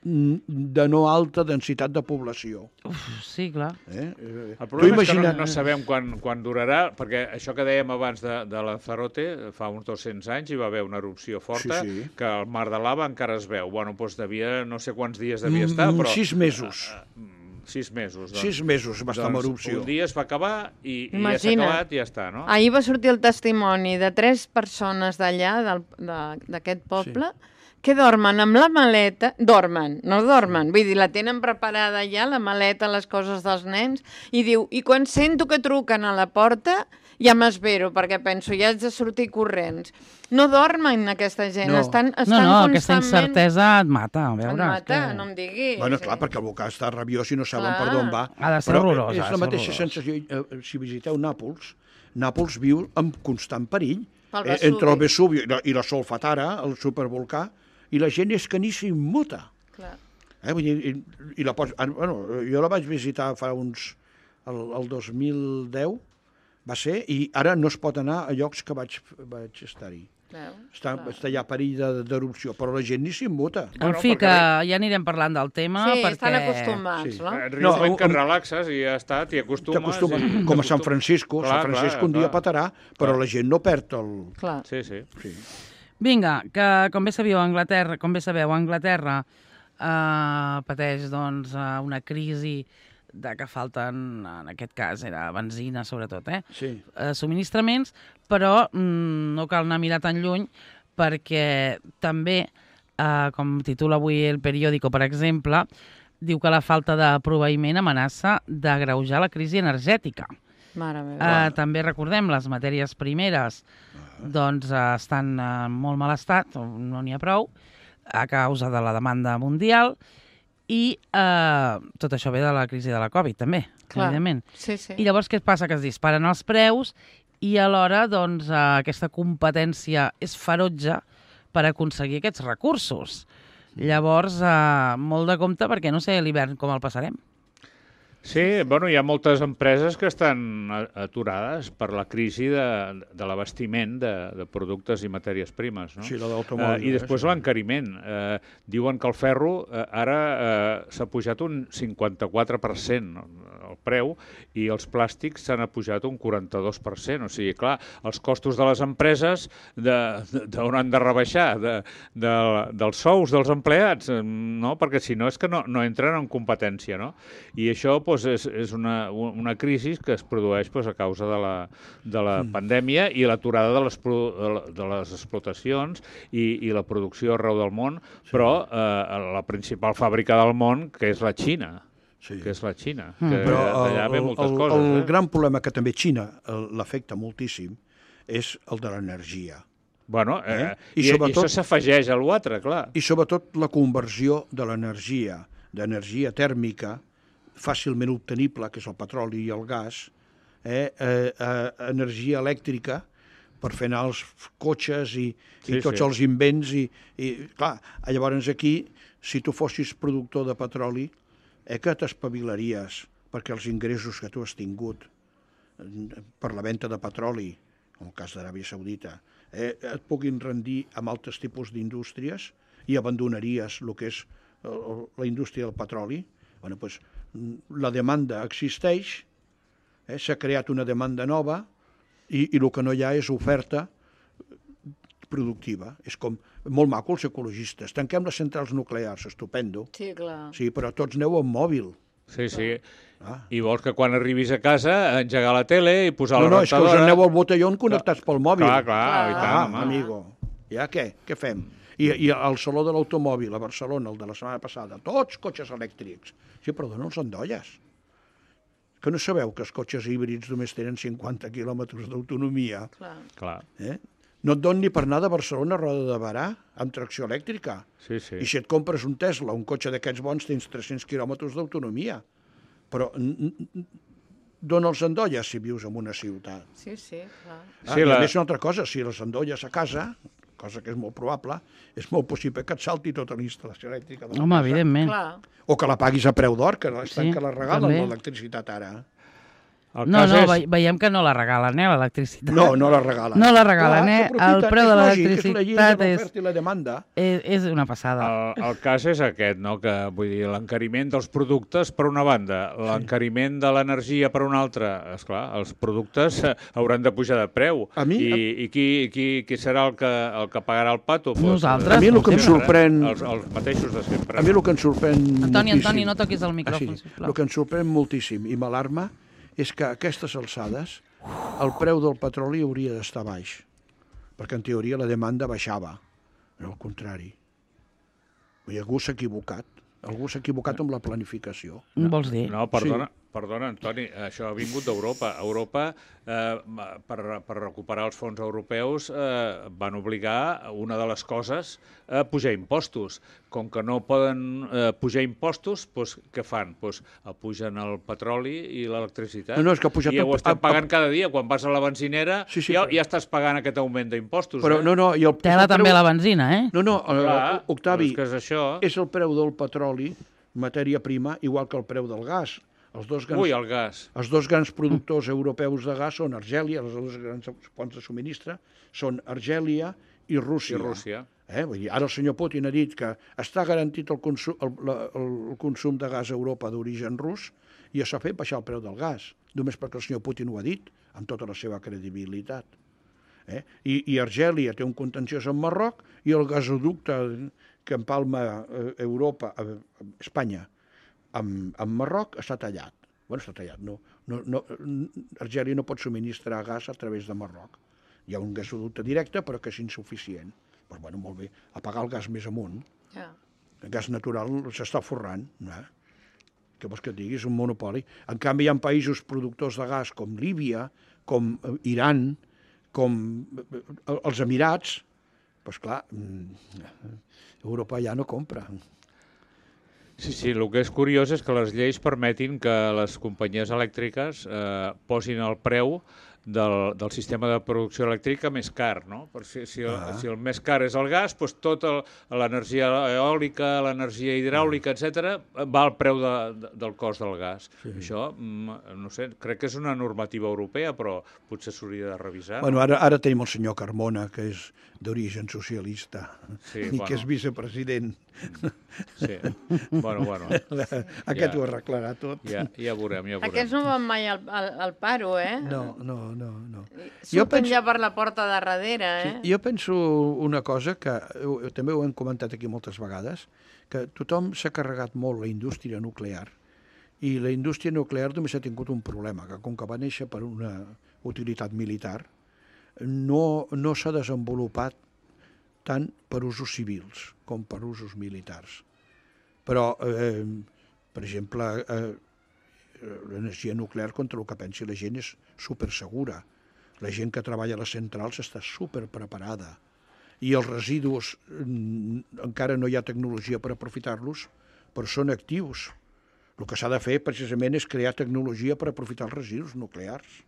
mm, de no alta densitat de població. Uf, sí, clar. Eh? Eh, El tu problema és que imagina't- no, no sabem quan, quan durarà, perquè això que dèiem abans de, de Lanzarote, fa uns dos-cents anys hi va haver una erupció forta, Sí, sí. que el mar de lava encara es veu. Bueno, doncs devia, no sé quants dies devia estar, Mm, però... Sis mesos. Mm, Sis mesos, doncs. Sis mesos va estar en Doncs erupció. un dia es va acabar i, i ja s'ha Imagina't. acabat i ja està, no? Ahir va sortir el testimoni de tres persones d'allà, del- de- d'aquest poble, sí. que dormen amb la maleta, dormen, no dormen, vull dir, la tenen preparada ja, la maleta, les coses dels nens, i diu, i quan sento que truquen a la porta, ja m'esvero, perquè penso, ja haig de sortir corrents. No dormen aquesta gent, No. estan, estan No, no, aquesta constantment... incertesa et mata, a Em veure. mata, és que... no em diguis. Bueno, clar, perquè el volcà està rabiós i no saben Clar. per d'on va. Ha de ser Però horrorós, és ha de la ser mateixa horrorós. sensació. eh, Si visiteu Nàpols, Nàpols viu en constant perill. Pel eh, Vesuvi. entre el Vesuvi i la, i la Solfatara, el supervolcà, i la gent és que ni s'immuta. Clar. Eh? Vull dir, i, i la pots... bueno, jo la vaig visitar fa uns... El, el dos mil deu va ser, i ara no es pot anar a llocs que vaig, vaig estar-hi. Està, està ja a perill d'erupció, però la gent ni s'immuta. En fi, que ja anirem parlant del tema. Sí, perquè... estan acostumats, sí. no? Arriba un moment que et relaxes i ja està, t'hi acostumes. I... Com a Sant Francisco. Clar, Sant Francisco clar, un dia clar. Patarà, però clar. La gent no perd el... Clar. Sí, sí. sí. Vinga, que com bé sabeu, Anglaterra, com bé sabeu, Anglaterra eh, pateix doncs, una crisi de que falten, en aquest cas era benzina sobretot, eh? Sí. eh subministraments, però mm, no cal anar a mirar tan lluny perquè també, eh, com titula avui el periòdico, per exemple, diu que la falta de proveïment amenaça d'agreujar la crisi energètica. Mare meva. Eh, també recordem, les matèries primeres doncs, eh, estan en molt mal estat, no n'hi ha prou, a causa de la demanda mundial, i eh, tot això ve de la crisi de la Covid, també, clar. Evidentment. Sí, sí. I llavors què passa? Que es disparen els preus i alhora doncs, eh, aquesta competència és ferotge per aconseguir aquests recursos. Llavors, eh, molt de compte, perquè no sé l'hivern com el passarem. Sí, bueno, hi ha moltes empreses que estan aturades per la crisi de, de l'abastiment de, de productes i matèries primes, no? Sí, la d'automòbil. Uh, I després eh? l'encariment. Uh, diuen que el ferro uh, ara uh, s'ha pujat un cinquanta-quatre per cent el preu i els plàstics s'han pujat un quaranta-dos per cent. O sigui, clar, els costos de les empreses d'on han de rebaixar? De, de, dels sous dels empleats, no? Perquè si no és que no, no entren en competència, no? I això, doncs, és, és una, una crisi que es produeix doncs, a causa de la, de la mm. pandèmia i l'aturada de, les, de les explotacions i, i la producció arreu del món, sí. Però eh, la principal fàbrica del món, que és la Xina, sí. que és la Xina, mm. que allà ve moltes el, coses. El eh? gran problema que també Xina l'afecta moltíssim és el de l'energia. Bueno, eh, eh? I, I, sobretot, i això s'afegeix a l'altre, clar. I sobretot la conversió de l'energia, d'energia tèrmica, fàcilment obtenible, que és el petroli i el gas, eh, eh, eh, energia elèctrica per fer anar els cotxes i, i sí, tots sí. els invents. I, i clar, llavors aquí, si tu fossis productor de petroli, eh, que t'espavilaries perquè els ingressos que tu has tingut per la venda de petroli, en el cas d'Aràbia Saudita, eh, et puguin rendir amb altres tipus d'indústries i abandonaries el que és la indústria del petroli. Bueno, doncs, la demanda existeix, eh, s'ha creat una demanda nova i, i el que no hi ha és oferta productiva. És com molt maco els ecologistes. Tanquem les centrals nuclears, estupendo. Sí, clar. Sí, però tots aneu amb mòbil. Sí, sí. Ah. I vols que quan arribis a casa engegar la tele i posar no, la no, rentadora... No, no, és que us aneu al botellón connectats pel mòbil. Clar, clar, clar. I tant, ah, amigo. Ja què? Què fem? I, i al Saló de l'Automòbil a Barcelona, el de la setmana passada, tots cotxes elèctrics. Sí, però donen els endolles. Que no sabeu que els cotxes híbrids només tenen cinquanta quilòmetres d'autonomia? Clar. Clar. Eh? No et don ni per anar de Barcelona a Roda de Barà amb tracció elèctrica. Sí, sí. I si et compres un Tesla, un cotxe d'aquests bons, tens tres-cents quilòmetres d'autonomia. Però dona els endolles si vius en una ciutat. Sí, sí, clar. Ah, sí, I la... a més una altra cosa, si les endolles a casa, cosa que és molt probable, és molt possible que et salti tota la instal·lació elèctrica de la Home, casa. evidentment. Clar. O que la paguis a preu d'or, que estan Sí, que la regalen també. l'electricitat ara. El No, cas no, és... ve- veiem que no la regalen, eh, l'electricitat. No, no la regalen. No la regalen, eh? El preu de l'electricitat és, és... la demanda. és, és una passada. El, el cas és aquest, no? Que, vull dir, l'encariment dels productes per una banda, l'encariment de l'energia per una altra. Esclar, els productes hauran de pujar de preu. A mi- I, i qui, qui, qui serà el que, el que pagarà el pato? Nosaltres. A mi el que em sempre, sorprèn- Els, els mateixos de sempre. A mi el que em sorprèn Antoni, moltíssim... Antoni, no toquis el micròfon, ah, sí. sisplau. El que em sorprèn moltíssim i m'alarma és que a aquestes alçades el preu del petroli hauria d'estar baix, perquè en teoria la demanda baixava, no al contrari. Vull dir, algú s'ha equivocat, algú s'ha equivocat amb la planificació. No. Vols dir? No, perdona, sí. perdona, Antoni, això ha vingut d'Europa. Europa, eh, per, per recuperar els fons europeus, eh, van obligar, una de les coses, a pujar impostos. Com que no poden eh, pujar impostos, doncs, què fan? Doncs pugen el petroli i l'electricitat. No, no, és que ha pujat I ja el- ho estem a- pagant cada dia. Quan vas a la benzinera, Sí, sí, ja, però- ja estàs pagant aquest augment d'impostos. Però eh? no, no, i el, Tela el també preu- la benzina, eh? No, no, Clar, uh, Octavi, és que és això. és el preu del petroli matèria prima, igual que el preu del gas. Els dos grans, Ui, el gas. Els dos grans productors europeus de gas són Argèlia, els dos grans fonts de subministre, són Argèlia i Rússia. I Rússia. Eh? Vull dir, ara el senyor Putin ha dit que està garantit el consum, el, el, el consum de gas a Europa d'origen rus i això ha fet baixar el preu del gas, només perquè el senyor Putin ho ha dit, amb tota la seva credibilitat. Eh? I, I Argèlia té un contenciós amb Marroc i el gasoducte que empalma eh, Europa, eh, Espanya, amb, amb Marroc està tallat. Bueno, està tallat. No, no, no, Argèlia no pot subministrar gas a través de Marroc. Hi ha un gasoducte directe, però que és insuficient. Però, bueno, molt bé, apagar el gas més amunt. Ja. El gas natural s'està forrant. Eh? Què vols que et digui? És un monopoli. En canvi, hi ha països productors de gas com Líbia, com Iran, com els Emirats. Doncs clar, Europa ja no compra. Sí, sí, el que és curiós és que les lleis permetin que les companyies elèctriques eh, posin el preu del, del sistema de producció elèctrica més car, no? Per si, si, el, ah. si el més car és el gas, doncs tota l'energia eòlica, l'energia hidràulica, etcètera, va al preu de, de, del cost del gas. Sí. Això, no sé, crec que és una normativa europea, però potser s'hauria de revisar. Bueno, ara, ara tenim el senyor Carmona, que és d'origen socialista, sí, i bueno. que és vicepresident. Sí, bueno, bueno. Aquest ja, ho arreglarà tot. Ja, ja veurem, ja veurem. Aquests no van mai al, al, al paro, eh? No, no, no. no. Surten penso... ja per la porta de darrere, eh? Sí, jo penso una cosa que eh, també ho hem comentat aquí moltes vegades, que tothom s'ha carregat molt la indústria nuclear i la indústria nuclear només ha tingut un problema, que com que va néixer per una utilitat militar, no, no s'ha desenvolupat tant per usos civils com per usos militars. Però, eh, per exemple, eh, l'energia nuclear, contra el que pensi la gent, és supersegura. La gent que treballa a les centrals està superpreparada. I els residus, encara no hi ha tecnologia per aprofitar-los, però són actius. El que s'ha de fer, precisament, és crear tecnologia per aprofitar els residus nuclears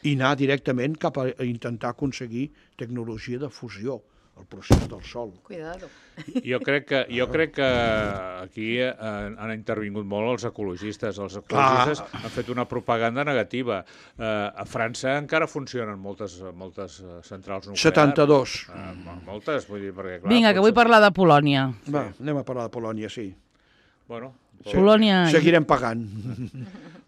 i anar directament cap a intentar aconseguir tecnologia de fusió, el procés del sol. Cuidado. Jo crec que, jo crec que aquí han, han intervingut molt els ecologistes. Els ecologistes Clar. han fet una propaganda negativa. Eh, a França encara funcionen moltes, moltes centrals nuclears. setanta-dos. Eh, moltes, vull dir, perquè clar... Vinga, que vull parlar de Polònia. Va, anem a parlar de Polònia, sí. Bueno, Polònia... Seguirem pagant.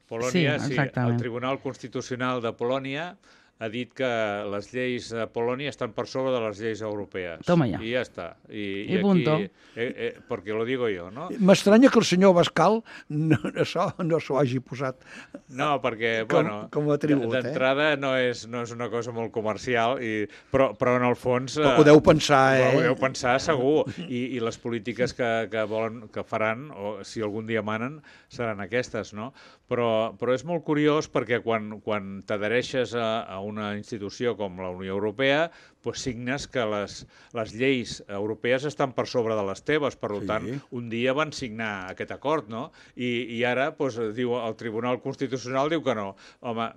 Polònia, sí, sí, el Tribunal Constitucional de Polònia ha dit que les lleis de Polònia estan per sobre de les lleis europees. Toma ja. I ja està. I, I, i punto. Aquí, eh, eh, perquè lo digo jo, no? M'estranya que el senyor Bascal no, això no s'ho hagi posat no, perquè, com, bueno, com a tribut. D'entrada eh? no, és, no és una cosa molt comercial, i, però, però en el fons... Eh, ho deu pensar, eh? Ho deu pensar, segur. I, i les polítiques que, que, volen, que faran, o si algun dia manen, seran aquestes, no? Però, però és molt curiós perquè quan, quan t'adhereixes a, a una institució com la Unió Europea, doncs signes que les, les lleis europees estan per sobre de les teves, per sí. tant, un dia van signar aquest acord, no? I, i ara, doncs, diu, el Tribunal Constitucional diu que no. Home,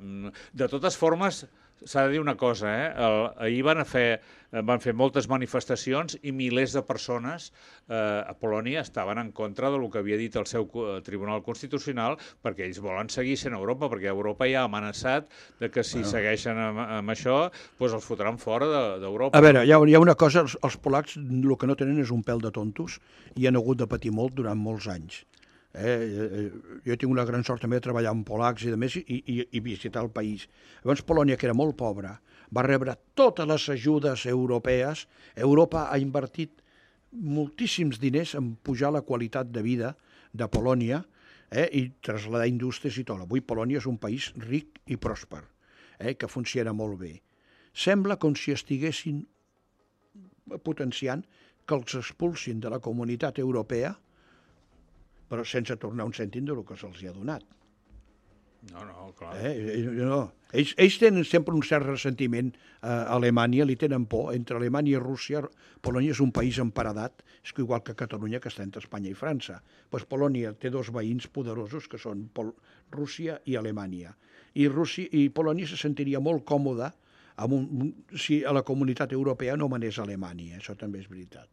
de totes formes, s'ha de dir una cosa, eh? El, ahir van fer, van fer moltes manifestacions i milers de persones eh, a Polònia estaven en contra del que havia dit el seu Tribunal Constitucional, perquè ells volen seguir sent Europa, perquè Europa ja ha amenaçat de que si bueno. segueixen amb, amb això, doncs els fotran fora d'Europa. A veure, hi ha, hi ha una cosa, els, els polacs el que no tenen és un pèl de tontos i han hagut de patir molt durant molts anys. Eh, jo tinc una gran sort també de treballar amb polacs i de més i, i, i visitar el país. Llavors Polònia, que era molt pobra, va rebre totes les ajudes europees. Europa ha invertit moltíssims diners en pujar la qualitat de vida de Polònia eh, i traslladar indústries i tot. Avui Polònia és un país ric i pròsper, eh, que funciona molt bé. Sembla com si estiguessin potenciant que els expulsin de la comunitat europea, però sense tornar un cèntim del que se'ls ha donat. No, no, clar. Eh? No. Ells, ells tenen sempre un cert ressentiment a Alemanya, li tenen por. Entre Alemanya i Rússia, Polònia és un país emparedat, és igual que Catalunya, que està entre Espanya i França. Pues Polònia té dos veïns poderosos, que són Pol Rússia i Alemanya. I, Rússia, i Polònia se sentiria molt còmoda amb un, si a la comunitat europea no manés Alemanya, això també és veritat.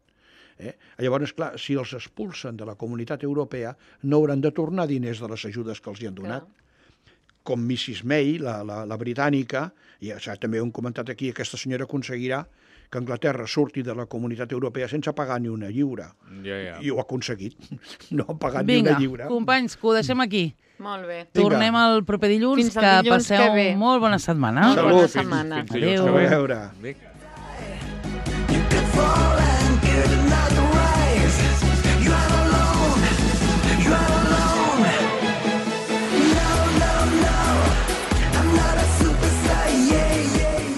Eh? Llavors, clar, si els expulsen de la Comunitat Europea, no hauran de tornar diners de les ajudes que els hi han donat. Clar. Com missus May, la, la, la britànica, i ja, també ho hem comentat aquí, aquesta senyora aconseguirà que Anglaterra surti de la Comunitat Europea sense pagar ni una lliura. Ja, ja. I ho ha aconseguit. No ha pagat Vinga, ni una lliura. companys, que ho deixem aquí. Molt bé. Tornem el proper dilluns, Fins el que dilluns passeu que ve. molt bona setmana. Molt bona setmana. Fins dilluns Adéu. que ve. A veure. Vinga.